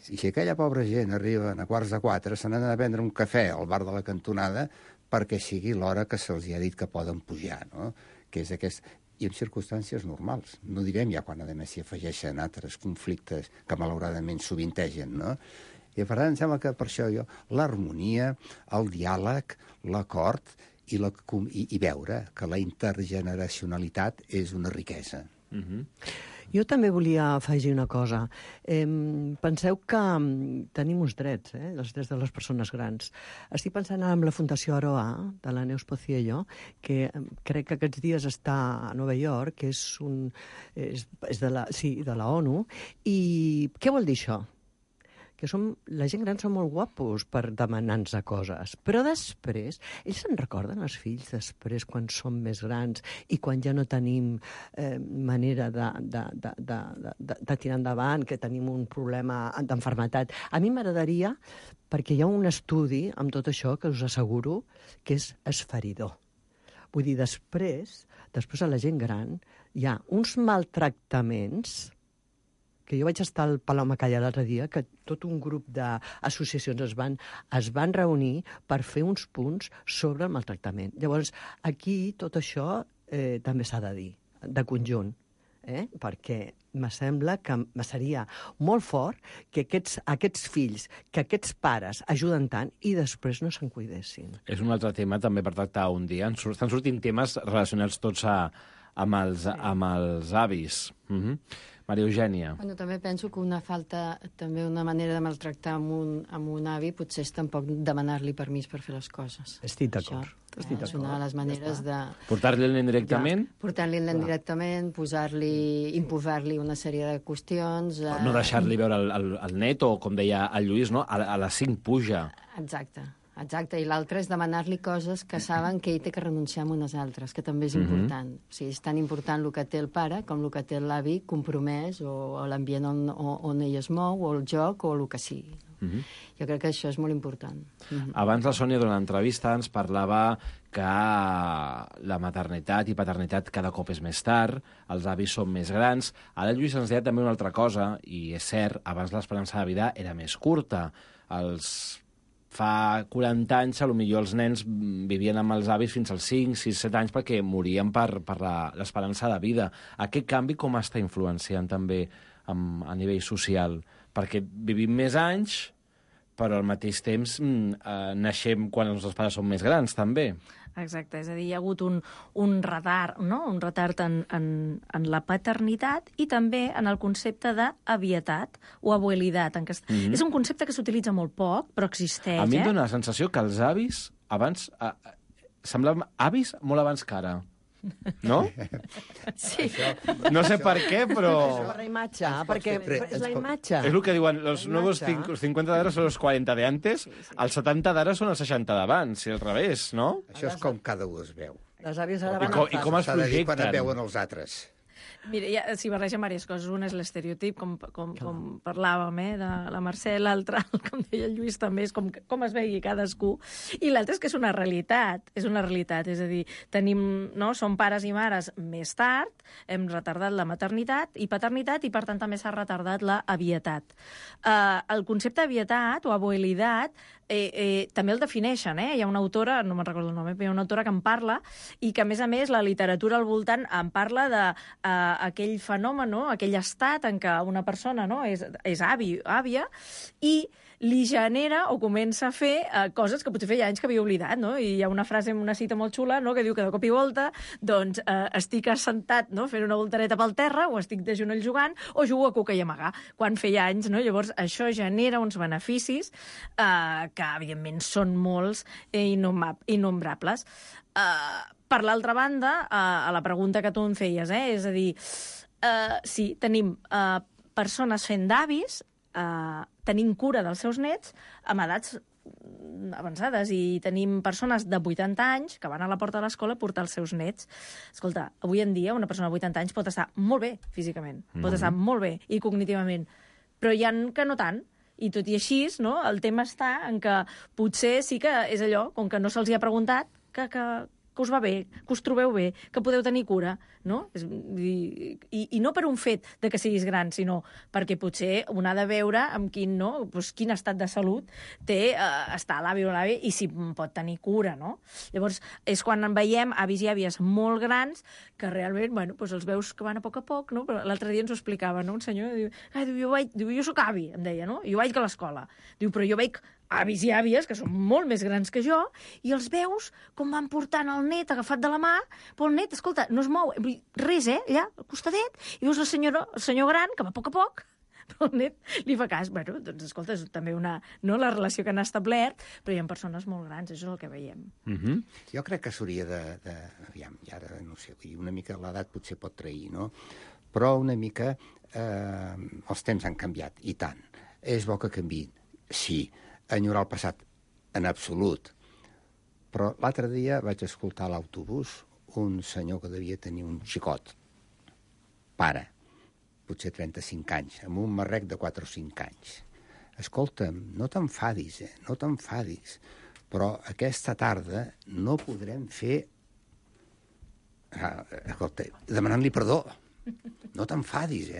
I si aquella pobra gent arriben a 3:45, se n'han de prendre un cafè al bar de la cantonada perquè sigui l'hora que se'ls ha dit que poden pujar, no? Que és aquest... I en circumstàncies normals. No direm ja quan, a més, s'hi afegeixen altres conflictes que malauradament sovintegen, no? I per tant, em sembla que per això l'harmonia, el diàleg, l'acord... I veure que la intergeneracionalitat és una riquesa. Jo també volia afegir una cosa. Penseu que tenim uns drets, els drets de les persones grans. Estic pensant en la Fundació Aroa, de la Neus Pociello, que crec que aquests dies està a Nova York, que és de la ONU. I què vol dir això? Que la gent gran són molt guapos per demanar-nos coses, però després, ells se'n recorden, els fills, després, quan som més grans i quan ja no tenim manera de tirar endavant, que tenim un problema d'enfermetat. A mi m'agradaria, perquè hi ha un estudi amb tot això que us asseguro que és esferidor. Vull dir, després a la gent gran hi ha uns maltractaments que jo vaig estar al Palau Macaya l'altre dia, que tot un grup d'associacions es van reunir per fer uns punts sobre el maltractament. Llavors, aquí tot això també s'ha de dir, de conjunt, perquè me sembla que seria molt fort que aquests fills, que aquests pares ajuden tant i després no se'n cuidessin. És un altre tema també per tractar un dia. Estan sortint temes relacionats tots amb els avis. Maria Eugènia. Bueno, també penso que una manera de maltractar amb un avi potser és tampoc demanar-li permís per fer les coses. Estic d'acord. És una de les maneres de... Portar-li el nen directament? Portar-li el nen directament, imposar-li una sèrie de qüestions... No deixar-li veure el net, o, com deia el Lluís, no? A les 5 puja. Exacte, i l'altre és demanar-li coses que saben que ell té que renunciar a unes altres, que també és important. O sigui, és tan important el que té el pare com el que té l'avi compromès, o l'ambient on ell es mou, o el joc, o el que sigui. Jo crec que això és molt important. Abans la Sònia, durant l'entrevista, ens parlava que la maternitat i paternitat cada cop és més tard, els avis són més grans. Ara el Lluís ens deia també una altra cosa, i és cert, abans l'esperança de vida era més curta. Fa 40 anys, potser els nens vivien amb els avis fins als 5, 6, 7 anys perquè morien per l'esperança de vida. Aquest canvi com està influenciant també a nivell social? Perquè vivim més anys, però al mateix temps naixem quan els nostres pares són més grans, també. Exacte, és a dir, hi ha hagut un retard, no? Un retard en la paternitat i també en el concepte d'avietat o abuelitat. És un concepte que s'utilitza molt poc, però existeix. A mi em dóna la sensació que els avis abans semblaven avis molt abans que ara. No? Sí. No sé per què, però... Per la imatge, perquè és la imatge. És el que diuen, los nuevos 50 d'ara són los 40 de antes, els 70 d'ara són els 60 d'abans, i al revés, no? Això és com cada un es veu. Les àvies ara van I com es S'ha de dir quan projecten? et veuen els altres. Mira, s'hi barreja diverses coses. Un és l'estereotip, com parlàvem, de la Mercè, l'altre, com deia el Lluís, també és com es vegi cadascú. I l'altre és que és una realitat, és a dir, som pares i mares més tard, hem retardat la maternitat i paternitat, i per tant també s'ha retardat la avietat. El concepte avietat o abuelitat també el defineixen, Hi ha una autora, no me'n recordo el nom, però hi ha una autora que en parla, i que, a més, la literatura al voltant en parla d'aquell fenomen, aquell estat en què una persona és avi o àvia, i li genera o comença a fer coses que potser feia anys que havia oblidat, I hi ha una frase, una cita molt xula, que diu que de cop i volta estic assentat fent una voltareta pel terra, o estic de genoll jugant, o jugo a cuca i amagar, quan feia anys, Llavors, això genera uns beneficis que, evidentment, són molts i innombrables. Per l'altra banda, a la pregunta que tu em feies, és a dir, sí, tenim persones fent d'avis, tenint cura dels seus nets amb edats avançades, i tenim persones de 80 anys que van a la porta de l'escola a portar els seus nets. Escolta, avui en dia una persona de 80 anys pot estar molt bé físicament, pot estar molt bé i cognitivament, però hi ha que no tant. I tot i així, el tema està en que potser sí que és allò, com que no se'ls hi ha preguntat, que us va bé, que us trobeu bé, que podeu tenir cura, no? I no per un fet de que siguis gran, sinó perquè potser un ha de veure amb quin estat de salut té estar l'avi o l'avi i si pot tenir cura, no? Llavors, és quan en veiem avis i àvies molt grans que realment, els veus que van a poc, no? Però l'altre dia ens ho explicava, no? Un senyor diu, jo soc avi, em deia, no? Jo vaig a l'escola. Diu, però jo veig avis i àvies, que són molt més grans que jo, i els veus com van portant el net agafat de la mà, però el net, escolta, no es mou, res, allà, al costadet, i veus el senyor gran, que va a poc, però el net li fa cas. Doncs, escolta, és també la relació que han establert, però hi ha persones molt grans, això és el que veiem. Jo crec que s'hauria aviam, i ara no sé, una mica l'edat potser pot trair, no? Però una mica els temps han canviat, i tant. És bo que canviïn, sí. Enyorar el passat, en absolut. Però l'altre dia vaig escoltar a l'autobús un senyor que devia tenir un xicot, pare, potser 35 anys, amb un marrec de 4 o 5 anys. Escolta'm, no t'enfadis, no t'enfadis, però aquesta tarda no podrem fer... Escolta, demanant-li perdó. No t'enfadis,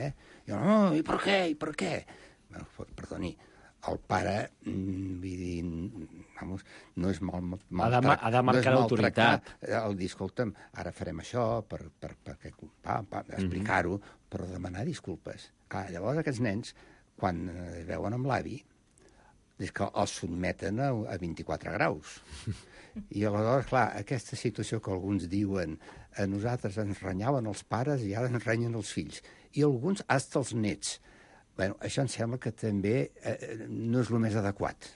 Jo, no, i per què? Perdoni, el pare, vull dir, no és ha de marcar l'autoritat. El dir, escolta'm, ara farem això per explicar-ho, però demanar disculpes. Clar, llavors aquests nens, quan es veuen amb l'avi, és que els sotmeten a 24 graus. I aleshores, clar, aquesta situació que alguns diuen a nosaltres ens renyaven els pares i ara ens renyen els fills. I alguns, hasta els nets. Bueno, això em sembla que també no és el més adequat.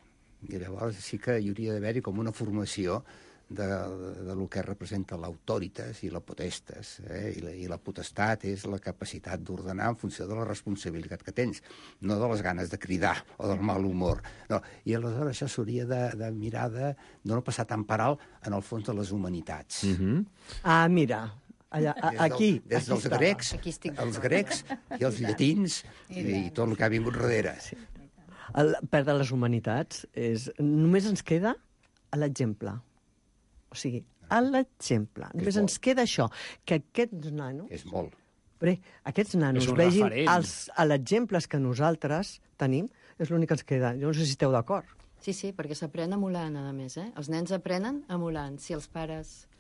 I llavors sí que hi hauria d'haver-hi com una formació de lo que representa l'autoritas i la potestas. I la potestat és la capacitat d'ordenar en funció de la responsabilitat que tens, no de les ganes de cridar o del mal humor. No. I aleshores això s'hauria de mirar de no passar tan per alt en el fons de les humanitats. Ah, mira, allà, aquí. Des dels grecs, els grecs i els llatins i tot el que ha vingut darrere. Sí. Perdre les humanitats només ens queda l'exemple. O sigui, a l'exemple. Només ens queda això, que aquests nanos... És molt. Aquests nanos vegin els exemples que nosaltres tenim, és l'únic que ens queda. Jo no sé si esteu d'acord. Sí, perquè s'aprèn emulant, a més. Els nens aprenen emulant. Si els pares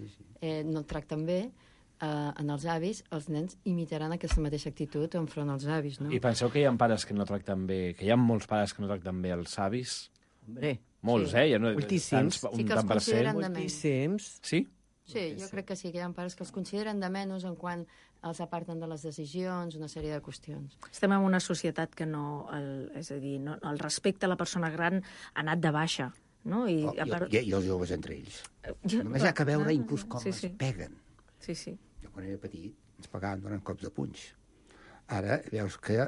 no el tracten bé, en els avis, els nens imitaran aquesta mateixa actitud enfront als avis, no? I penseu que hi ha pares que no tracten bé, que hi ha molts pares que no tracten bé els avis? Hombre, molts, moltíssims. Sí que els consideren de menys. Moltíssims. Sí? Sí, jo crec que sí, que hi ha pares que els consideren de menys en quan els aparten de les decisions, una sèrie de qüestions. Estem en una societat que és a dir, el respecte a la persona gran ha anat de baixa, no? I els joves entre ells. Només hi ha que veure inclús com es peguen. Sí. Jo quan era petit ens pegaven donant cops de punys. Ara veus que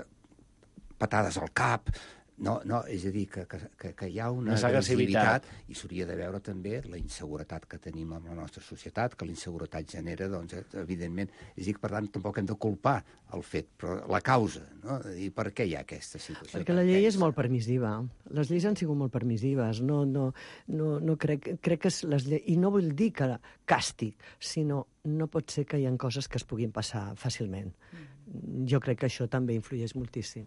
patades al cap... No, és a dir, que hi ha una agressivitat i s'hauria de veure també la inseguretat que tenim en la nostra societat, que la inseguretat genera, doncs, evidentment, és a dir, per tant, tampoc hem de culpar el fet, però la causa, no? I per què hi ha aquesta situació? Perquè la llei és molt permissiva. Les lleis han sigut molt permissives. No crec que les lleis... I no vull dir que càstig, sinó no pot ser que hi ha coses que es puguin passar fàcilment. Jo crec que això també influeix moltíssim.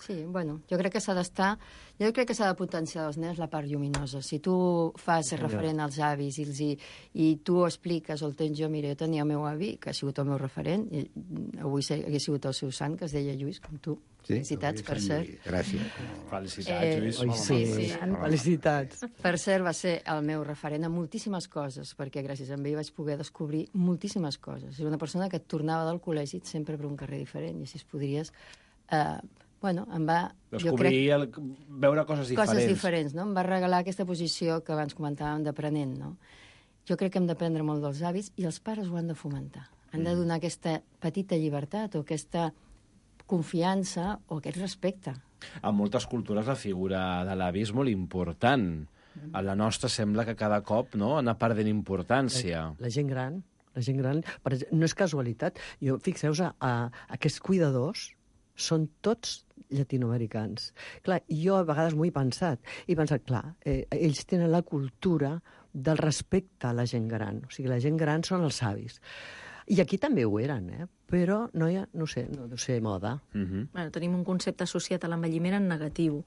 Sí, bueno, jo crec que s'ha de potenciar als nens la part lluminosa. Si tu fas referent als avis i tu ho expliques o el tens jo, mira, jo tenia el meu avi, que ha sigut el meu referent, i avui hagués sigut el seu sant, que es deia Lluís, com tu. Sí, felicitats, per cert. Gràcies. Felicitats, Lluís. Sí. Felicitats. Per cert, va ser el meu referent en moltíssimes coses, perquè gràcies a ell vaig poder descobrir moltíssimes coses. Era una persona que et tornava del col·legi sempre per un carrer diferent, i així es podries... em va... Descobrir, veure coses diferents. Coses diferents, no? Em va regalar aquesta posició que abans comentàvem d'aprenent, no? Jo crec que hem d'aprendre molt dels avis i els pares ho han de fomentar. Han de donar aquesta petita llibertat o aquesta confiança o aquest respecte. En moltes cultures la figura de l'avi és molt important. A la nostra sembla que cada cop anar perdent importància. La gent gran, per exemple, no és casualitat. Fixeu-vos, aquests cuidadors són tots llatinoamericans. Clar, jo a vegades m'ho he pensat. Ells tenen la cultura del respecte a la gent gran. O sigui, la gent gran són els avis. I aquí també ho eren, però no deu ser moda. Bueno, tenim un concepte associat a l'envelliment en negatiu,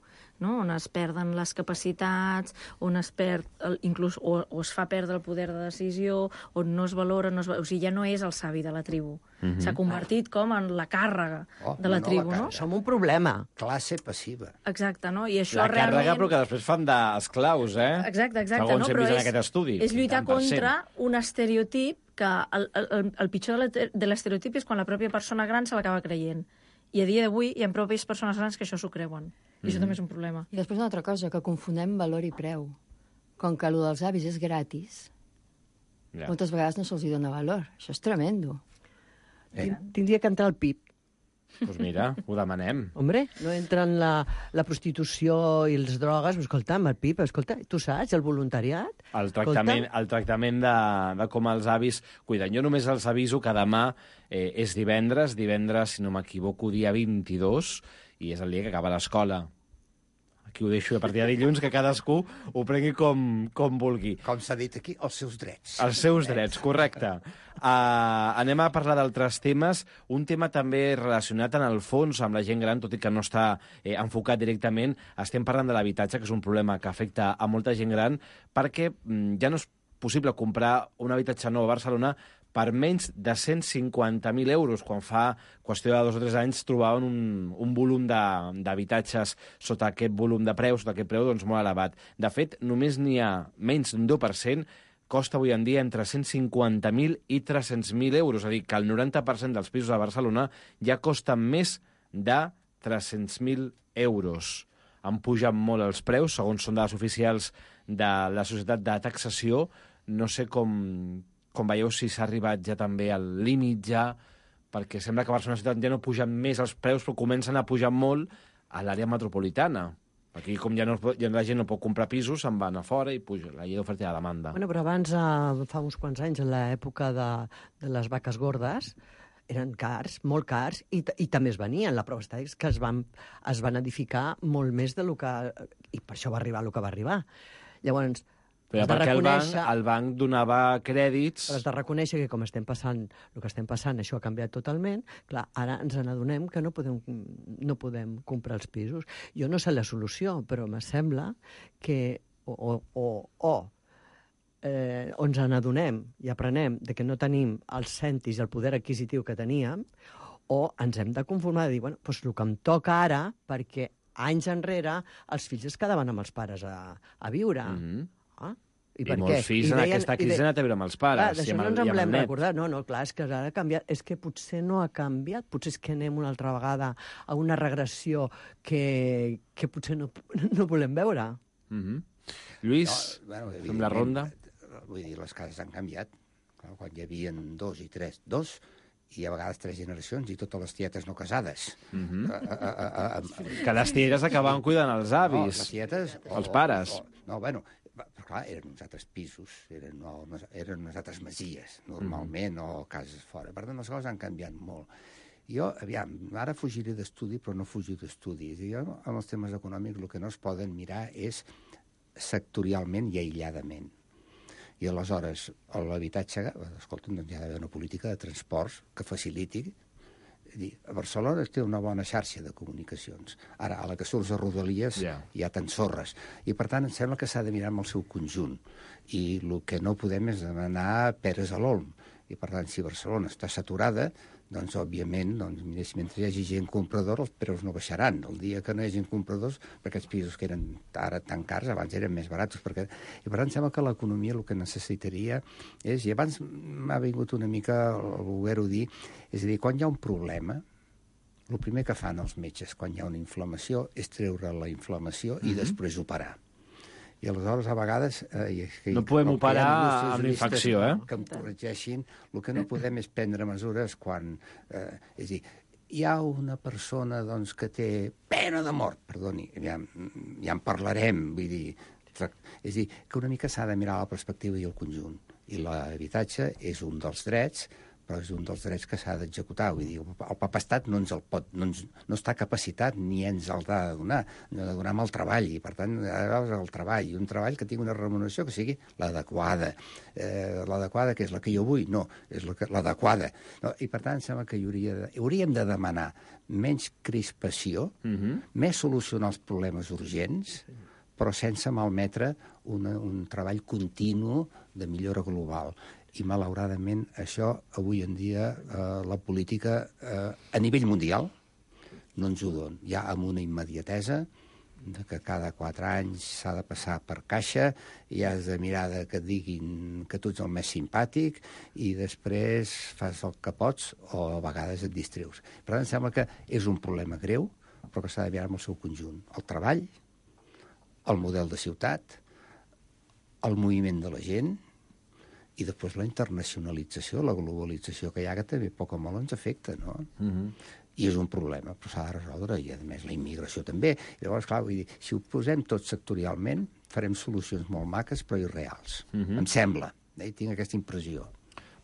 no? On es perden les capacitats, on es perd, inclús, o es fa perdre el poder de decisió, on no es valora, o sigui, ja no és el savi de la tribu. S'ha convertit com en la càrrega de la tribu, no? Som un problema. Classe passiva. Exacte, no? I això la càrrega, realment... però que després fan d'esclaus, Exacte, segons hem vist en aquest estudi. És lluitar contra un estereotip que el pitjor de l'estereotip és quan la pròpia persona gran se l'acaba creient. I a dia d'avui hi ha pròpies persones grans que això s'ho creuen. I això també és un problema. I després una altra cosa, que confonem valor i preu. Com que allò dels avis és gratis, moltes vegades no se'ls dona valor. Això és tremendo. Tindria que entrar al PIB. Doncs mira, ho demanem. Hombre, no entren la prostitució i les drogues, però escolta'm, el PIB, tu saps, el voluntariat... El tractament de com els avis cuiden. Jo només els aviso que demà és divendres, si no m'equivoco, dia 22, i és el dia que acaba l'escola. Aquí ho deixo a partir de dilluns, que cadascú ho prengui com vulgui. Com s'ha dit aquí, els seus drets. Els seus drets, correcte. Anem a parlar d'altres temes. Un tema també relacionat en el fons amb la gent gran, tot i que no està enfocat directament. Estem parlant de l'habitatge, que és un problema que afecta a molta gent gran, perquè ja no és possible comprar un habitatge nou a Barcelona per menys de 150.000 euros, quan fa qüestió de 2 o 3 anys trobaven un volum d'habitatges sota aquest volum de preus, sota aquest preu doncs, molt elevat. De fet, només n'hi ha menys d'un 2%, costa avui en dia entre 150.000 i 300.000 euros. És a dir, que el 90% dels pisos a Barcelona ja costen més de 300.000 euros. Han pujat molt els preus, segons són dades oficials de la Societat de Taxació. No sé com veieu si s'ha arribat ja també al límit ja, perquè sembla que a Barcelona ciutat ja no pugen més els preus, però comencen a pujar molt a l'àrea metropolitana. Aquí, com ja la gent no pot comprar pisos, se'n van a fora i puja la llei d'oferta i la demanda. Bueno, però abans, fa uns quants anys, en l'època de les vaques gordes, eren cars, molt cars, i també es venien. La prova està que es van edificar molt més del que... I per això va arribar el que va arribar. Llavors, però perquè el banc donava crèdits... Però has de reconèixer que com estem passant, el que estem passant, això ha canviat totalment. Clar, ara ens n'adonem que no podem comprar els pisos. Jo no sé la solució, però me sembla que ens n'adonem i aprenem de que no tenim els cèntims i el poder adquisitiu que teníem, o ens hem de conformar de dir, bueno, doncs el que em toca ara, perquè anys enrere els fills es quedaven amb els pares a viure. I molts fills en aquesta crisi han anat a viure amb els pares. D'això no ens en volem recordar. No, clar, és que ara ha canviat. És que potser no ha canviat. Potser és que anem una altra vegada a una regressió que potser no volem veure. Lluís, fem la ronda. Vull dir, les cases han canviat. Quan hi havia 2 i 3, 2, i a vegades 3 generacions, i totes les tietes no casades. Que les tietes acabaven cuidant els avis. Les tietes... Els pares. No, bueno, però clar, eren uns altres pisos, eren unes altres masies, normalment, o cases fora. Per tant, les coses han canviat molt. Jo, aviam, ara fugiré d'estudi, però no fugir d'estudi. Jo, en els temes econòmics, el que no es poden mirar és sectorialment i aïlladament. I aleshores, l'habitatge, escolta, doncs hi ha d'haver una política de transports que faciliti. A Barcelona té una bona xarxa de comunicacions. Ara, a la que surts a Rodalies hi ha t'ensorres. I, per tant, em sembla que s'ha de mirar amb el seu conjunt. I el que no podem és demanar peres a l'olm. I, per tant, si Barcelona està saturada, doncs, òbviament, mentre hi hagi gent compradora, els preus no baixaran. El dia que no hi hagi compradors, perquè aquests pisos que eren ara tan cars, abans eren més barats. I, per tant, sembla que l'economia el que necessitaria és... I abans m'ha vingut una mica el voler-ho dir, és a dir, quan hi ha un problema, el primer que fan els metges quan hi ha una inflamació és treure la inflamació i després operar. I aleshores, a vegades... no podem operar amb la infecció, que em corregeixin. El que no podem és prendre mesures quan... és a dir, hi ha una persona doncs, que té pena de mort, perdoni, ja en parlarem, vull dir... És a dir, que una mica s'ha de mirar la perspectiva i el conjunt. I l'habitatge és un dels drets, però és un dels drets que s'ha d'executar. Vull dir, el Papa-Estat no està capacitat ni ens el ha de donar. No ha de donar amb el treball, i per tant, el treball, un treball que tingui una remuneració que sigui l'adequada. L'adequada, que és la que jo vull? No, és l'adequada. I per tant, sembla que hauríem de demanar menys crispació, més solucionar els problemes urgents, però sense malmetre un treball continu de millora global. I, malauradament, això, avui en dia, la política, a nivell mundial, no ens ho dona. Ja amb una immediatesa, que cada 4 anys s'ha de passar per caixa, i has de mirar que et diguin que tu ets el més simpàtic, i després fas el que pots, o a vegades et distreus. Per tant, em sembla que és un problema greu, però que s'ha de mirar amb el seu conjunt. El treball, el model de ciutat, el moviment de la gent, i després la internacionalització, la globalització que hi ha, que també poc o molt ens afecta, no? I és un problema, però s'ha de resoldre, i a més la immigració també. I llavors, clar, vull dir, si ho posem tot sectorialment, farem solucions molt maques però irreals. Em sembla, tinc aquesta impressió.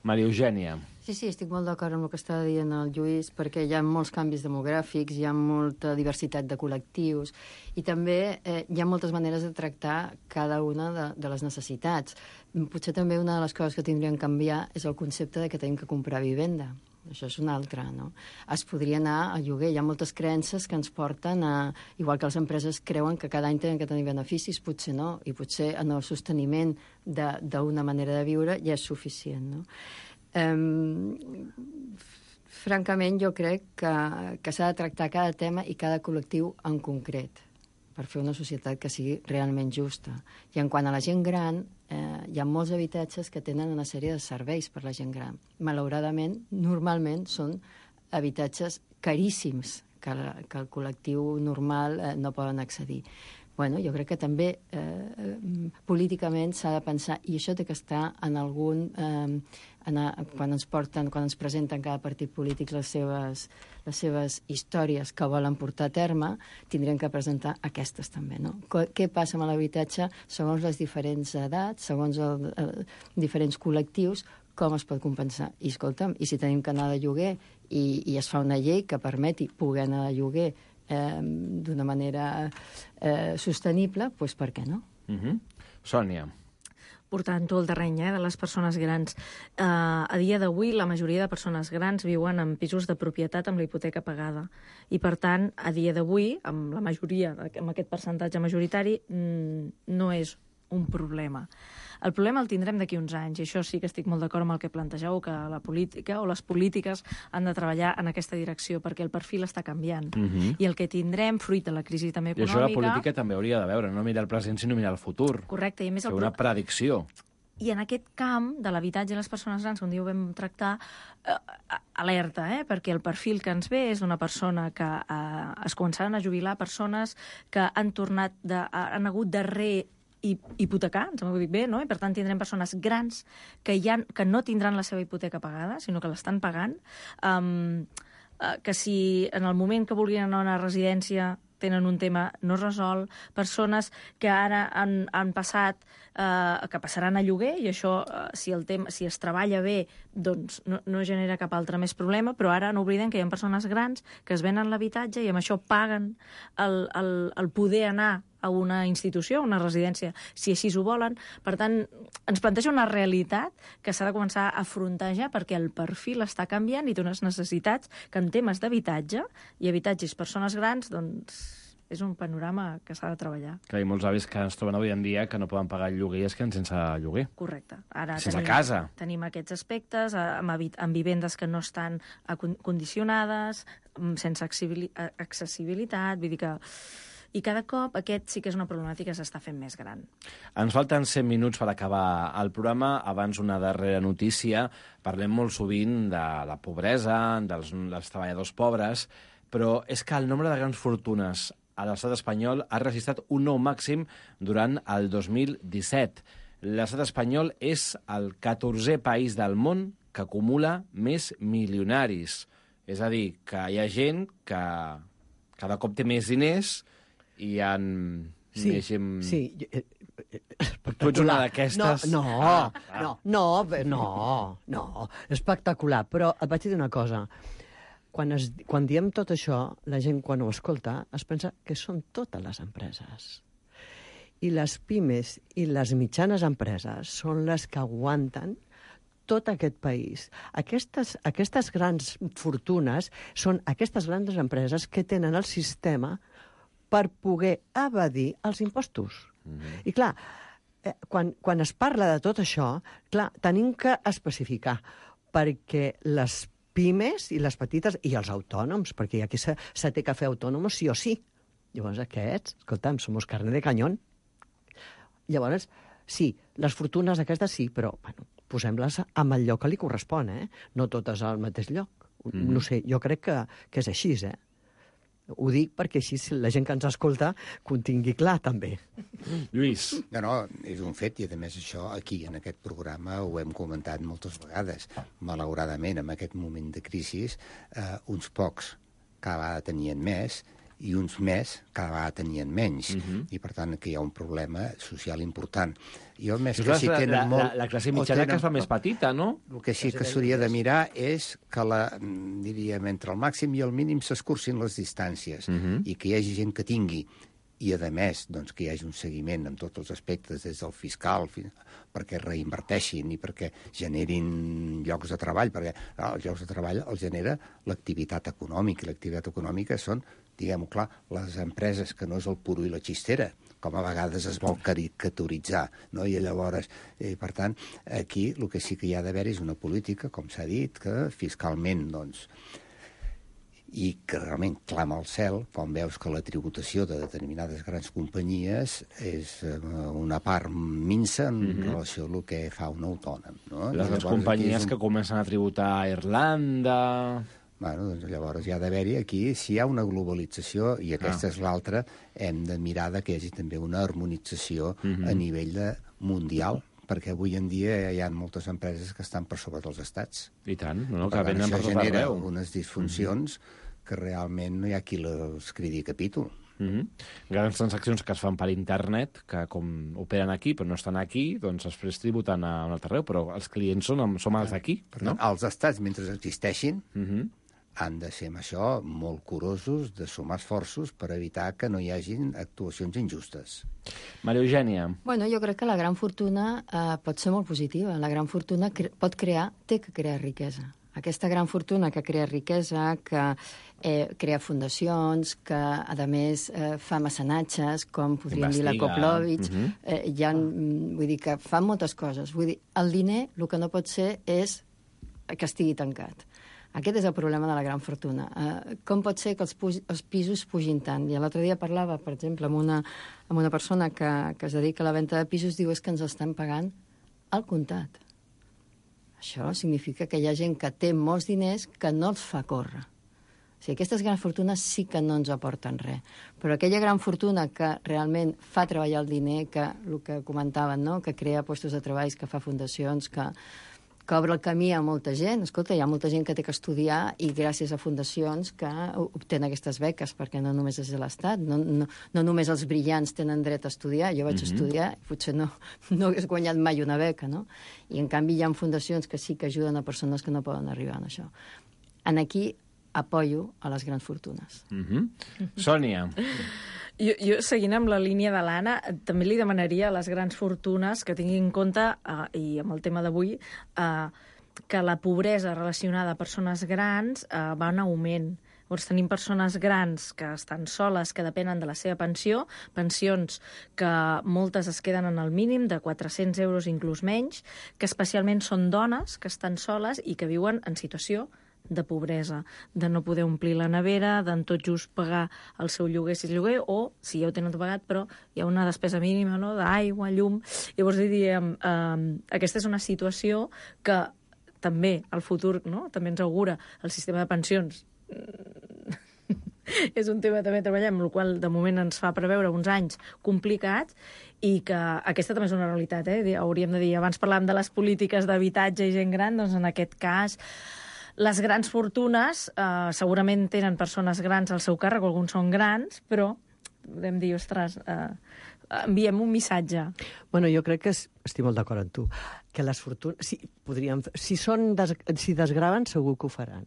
Maria Eugènia. Sí, estic molt d'acord amb el que estava dient el Lluís, perquè hi ha molts canvis demogràfics, hi ha molta diversitat de col·lectius, i també hi ha moltes maneres de tractar cada una de les necessitats. Potser també una de les coses que tindrien que canviar és el concepte de que tenim que comprar vivenda. Això és una altra, no? Es podria anar a lloguer. Hi ha moltes creences que ens porten a... Igual que les empreses creuen que cada any tenen que tenir beneficis, potser no, i potser en el sosteniment d'una manera de viure ja és suficient, no? Francament, jo crec que s'ha de tractar cada tema i cada col·lectiu en concret per fer una societat que sigui realment justa. I en quant a la gent gran, hi ha molts habitatges que tenen una sèrie de serveis per la gent gran. Malauradament, normalment són habitatges caríssims que el col·lectiu normal no poden accedir. Bueno, jo crec que també políticament s'ha de pensar, i això té que estar en algun... quan ens presenten cada partit polític les seves històries que volen portar a terme, tindrien que presentar aquestes també, no? Què passa amb l'habitatge segons les diferents edats, segons els diferents col·lectius, com es pot compensar? I escolta'm, i si tenim que anar de lloguer i es fa una llei que permeti poder anar de lloguer d'una manera sostenible, doncs per què no? Sònia. Portant-ho al terreny de les persones grans. A dia d'avui, la majoria de persones grans viuen en pisos de propietat amb la hipoteca pagada. I, per tant, a dia d'avui, amb la majoria, amb aquest percentatge majoritari, no és un problema. El problema el tindrem d'aquí uns anys, i això sí que estic molt d'acord amb el que plantegeu, que la política o les polítiques han de treballar en aquesta direcció, perquè el perfil està canviant. I el que tindrem, fruit de la crisi també econòmica... I això la política també hauria de veure, no mirar el present, sinó mirar el futur. Correcte, i a més... Fer una predicció. I en aquest camp de l'habitatge i les persones grans, un dia ho vam tractar, alerta, perquè el perfil que ens ve és d'una persona que es començaran a jubilar, persones que han hagut de hipotecar, em sembla que ho dic bé, no? I per tant tindrem persones grans que no tindran la seva hipoteca pagada, sinó que l'estan pagant, que si en el moment que vulguin anar a una residència tenen un tema no resolt, persones que ara han passat, que passaran a lloguer, i això, si es treballa bé, doncs no genera cap altre més problema, però ara no oblidem que hi ha persones grans que es venen l'habitatge i amb això paguen el poder anar a una institució, a una residència, si així ho volen. Per tant, ens planteja una realitat que s'ha de començar a afrontar ja, perquè el perfil està canviant i té unes necessitats que en temes d'habitatge i habitatges persones grans, doncs és un panorama que s'ha de treballar. Que hi ha molts avis que ens troben avui en dia que no poden pagar el lloguer i es queden sense lloguer. Correcte. Ara sense casa. Tenim aquests aspectes, amb vivendes que no estan condicionades, sense accessibilitat, vull dir que... I cada cop aquest sí que és una problemàtica que s'està fent més gran. Ens falten 100 minuts per acabar el programa. Abans, una darrera notícia. Parlem molt sovint de la pobresa, dels treballadors pobres, però és que el nombre de grans fortunes a l'estat espanyol ha registrat un nou màxim durant el 2017. L'estat espanyol és el 14è país del món que acumula més milionaris. És a dir, que hi ha gent que cada cop té més diners i més gent... Sí, tu ets una d'aquestes... No, espectacular. Però et vaig dir una cosa. Quan diem tot això, la gent, quan ho escolta, es pensa que són totes les empreses. I les pimes i les mitjanes empreses són les que aguanten tot aquest país. Aquestes grans fortunes són aquestes grans empreses que tenen el sistema per poder evadir els impostos. I clar, quan es parla de tot això, clar, tenim que especificar, perquè les pimes i les petites, i els autònoms, perquè aquí se té que fer autònoms sí o sí. Llavors aquests, escolta'm, somos carne de cañón. Llavors, sí, les fortunes aquestes sí, però bueno, posem-les en el lloc que li correspon, no totes al mateix lloc. No sé, jo crec que és així, Ho dic perquè així la gent que ens escolta que ho tingui clar, també. Lluís. No, és un fet, i a més això aquí, en aquest programa, ho hem comentat moltes vegades. Malauradament, en aquest moment de crisi, uns pocs cada vegada tenien més i uns més cada vegada tenien menys. I, per tant, que hi ha un problema social important. Jo, més que si tenen molt... La classe mitjana que es fa més petita, no? El que sí que s'hauria de mirar és que, diríem, entre el màxim i el mínim s'escurcin les distàncies i que hi hagi gent que tingui, i, a més, doncs, que hi hagi un seguiment en tots els aspectes, des del fiscal, perquè reinverteixin i perquè generin llocs de treball, perquè els llocs de treball els genera l'activitat econòmica, i l'activitat econòmica són, diguem-ho clar, les empreses, que no és el puro i la xistera, com a vegades es vol caricaturitzar, no? I llavors, per tant, aquí el que sí que hi ha d'haver és una política, com s'ha dit, que fiscalment, doncs, i que realment clama al cel quan veus que la tributació de determinades grans companyies és una part minsa en relació a el que fa un autònom. No? Les grans companyies que comencen a tributar a Irlanda... Bueno, doncs llavors hi ha d'haver-hi aquí, si hi ha una globalització, i aquesta és l'altra, hem de mirar que hi hagi també una harmonització a nivell mundial, perquè avui en dia hi ha moltes empreses que estan per sobre dels estats. I tant, no? Per Que venen per això tot genera arreu. unes disfuncions que realment no hi ha qui els cridi capítol. Grans transaccions que es fan per internet, que com operen aquí però no estan aquí, doncs després tributen a un altre arreu, però els clients som els d'aquí, no? Els estats, mentre existeixin, han de ser amb això molt curosos de sumar esforços per evitar que no hi hagin actuacions injustes. Maria Eugènia. Bueno, jo crec que la gran fortuna pot ser molt positiva. La gran fortuna té que crear riquesa. Aquesta gran fortuna que crea riquesa, que crea fundacions, que, a més, fa mecenatges, com podríem dir la Koplovich, vull dir que fa moltes coses. Vull dir, el diner, el que no pot ser és que estigui tancat. Aquest és el problema de la gran fortuna. Com pot ser que els pisos pugin tant? I l'altre dia parlava, per exemple, amb una persona que es dedica a la venda de pisos, diu que ens estan pagant al comptat. Això significa que hi ha gent que té molts diners que no els fa córrer. O sigui, aquestes grans fortunes sí que no ens aporten res. Però aquella gran fortuna que realment fa treballar el diner, que el que comentaven, no? Que crea llocs de treball, que fa fundacions, que obre el camí a molta gent. Escolta, hi ha molta gent que té que estudiar i gràcies a fundacions que obtenen aquestes beques, perquè no només és de l'Estat, no només els brillants tenen dret a estudiar. Jo vaig estudiar i potser no hagués guanyat mai una beca, no? I en canvi hi ha fundacions que sí que ajuden a persones que no poden arribar a això. Aquí apoyo a les grans fortunes. Sònia. Jo, seguint amb la línia de l'Anna, també li demanaria a les grans fortunes que tinguin en compte, i amb el tema d'avui, que la pobresa relacionada a persones grans va en augment. Llavors tenim persones grans que estan soles, que depenen de la seva pensió, pensions que moltes es queden en el mínim de 400 euros, inclús menys, que especialment són dones que estan soles i que viuen en situació de pobresa, de no poder omplir la nevera, d'en tot just pagar el seu lloguer si és lloguer, o si ja ho tenen tot pagat, però hi ha una despesa mínima, no?, d'aigua, llum. Llavors diríem, aquesta és una situació que també al futur, no?, també ens augura el sistema de pensions. És un tema també treballem, el qual de moment ens fa preveure uns anys complicats, i que aquesta també és una realitat, hauríem de dir, abans parlàvem de les polítiques d'habitatge i gent gran, doncs en aquest cas les grans fortunes segurament tenen persones grans al seu càrrec, alguns són grans, però podem dir, ostres, enviem un missatge. Bueno, jo crec que estic molt d'acord amb tu, que les fortunes, si desgraven, segur que ho faran.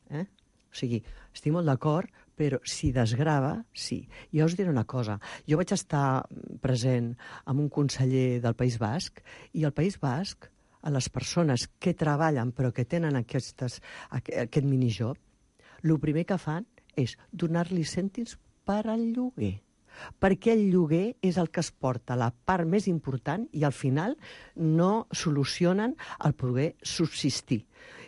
O sigui, estic molt d'acord, però si desgrava, sí. Jo us diré una cosa. Jo vaig estar present amb un conseller del País Basc, i al País Basc, a les persones que treballen però que tenen aquest minijob, el primer que fan és donar-li cèntims per al lloguer. Perquè el lloguer és el que es porta la part més important i al final no solucionen el poder subsistir.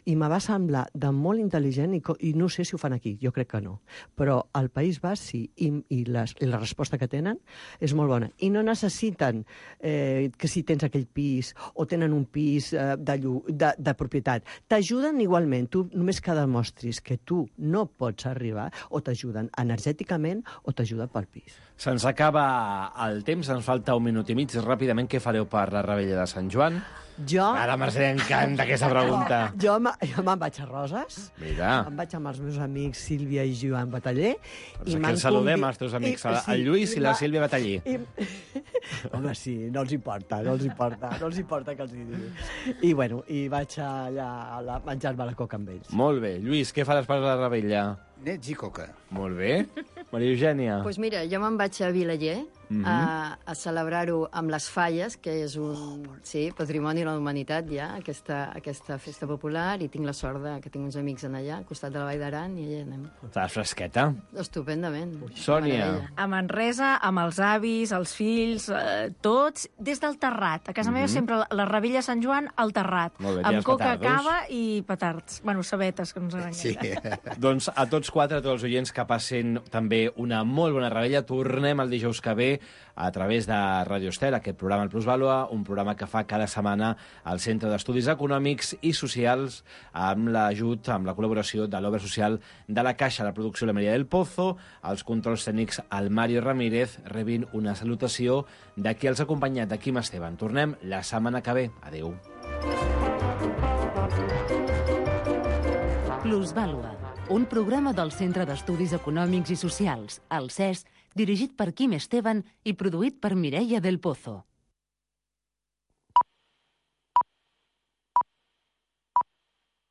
I me va semblar de molt intel·ligent i no sé si ho fan aquí, jo crec que no. Però al País Basc sí, i la resposta que tenen és molt bona. I no necessiten que si tens aquell pis o tenen un pis de propietat. T'ajuden igualment, tu només que demostris que tu no pots arribar, o t'ajuden energèticament o t'ajuden pel pis. Se'ns acaba el temps, ens falta 1 minut i mig. Ràpidament, què fareu per la Rebella de Sant Joan? A la Mercè encanta aquesta pregunta. Jo me'n vaig a Roses. Mira. Em vaig amb els meus amics Sílvia i Joan Bataller. Doncs aquí els saludem, els teus amics, el Lluís i la Sílvia Bataller. Home, sí, no els importa que els digui. I bueno, i vaig allà a menjar-me la coca amb ells. Molt bé. Lluís, què faràs per la Rebella? Nets i coca. Molt bé. Maria Eugènia. Doncs mira, jo me'n vaig a Vilaller, a celebrar-ho amb les Falles, que és un patrimoni de la humanitat ja, aquesta festa popular, i tinc la sort que tinc uns amics en allà, al costat de la Vall d'Aran, i allà anem. Estàs fresqueta? Estupendament. Sònia. A Manresa, amb els avis, els fills, tots, des del Terrat. A casa meva sempre la Rebella Sant Joan al Terrat. Molt bé, amb els coca, petardos. cava i petards. Bueno, sabetes, que no ens enganyem. Sí. Doncs a tots quatre, a tots els oients, que passin també una molt bona rebella. Tornem el dijous que ve a través de Radio Estel, aquest programa El Plusvàlua, un programa que fa cada setmana al Centre d'Estudis Econòmics i Socials amb l'ajut, amb la col·laboració de l'Obra Social de la Caixa, la producció la Maria del Pozo, els controls tècnics el Mario Ramírez, rebint una salutació de qui els ha acompanyat, de Quim Esteban. Tornem la setmana que ve. Adéu. Plusvàlua, un programa del Centre d'Estudis Econòmics i Socials, el CES, dirigit per Quim Esteban i produït per Mireia del Pozo.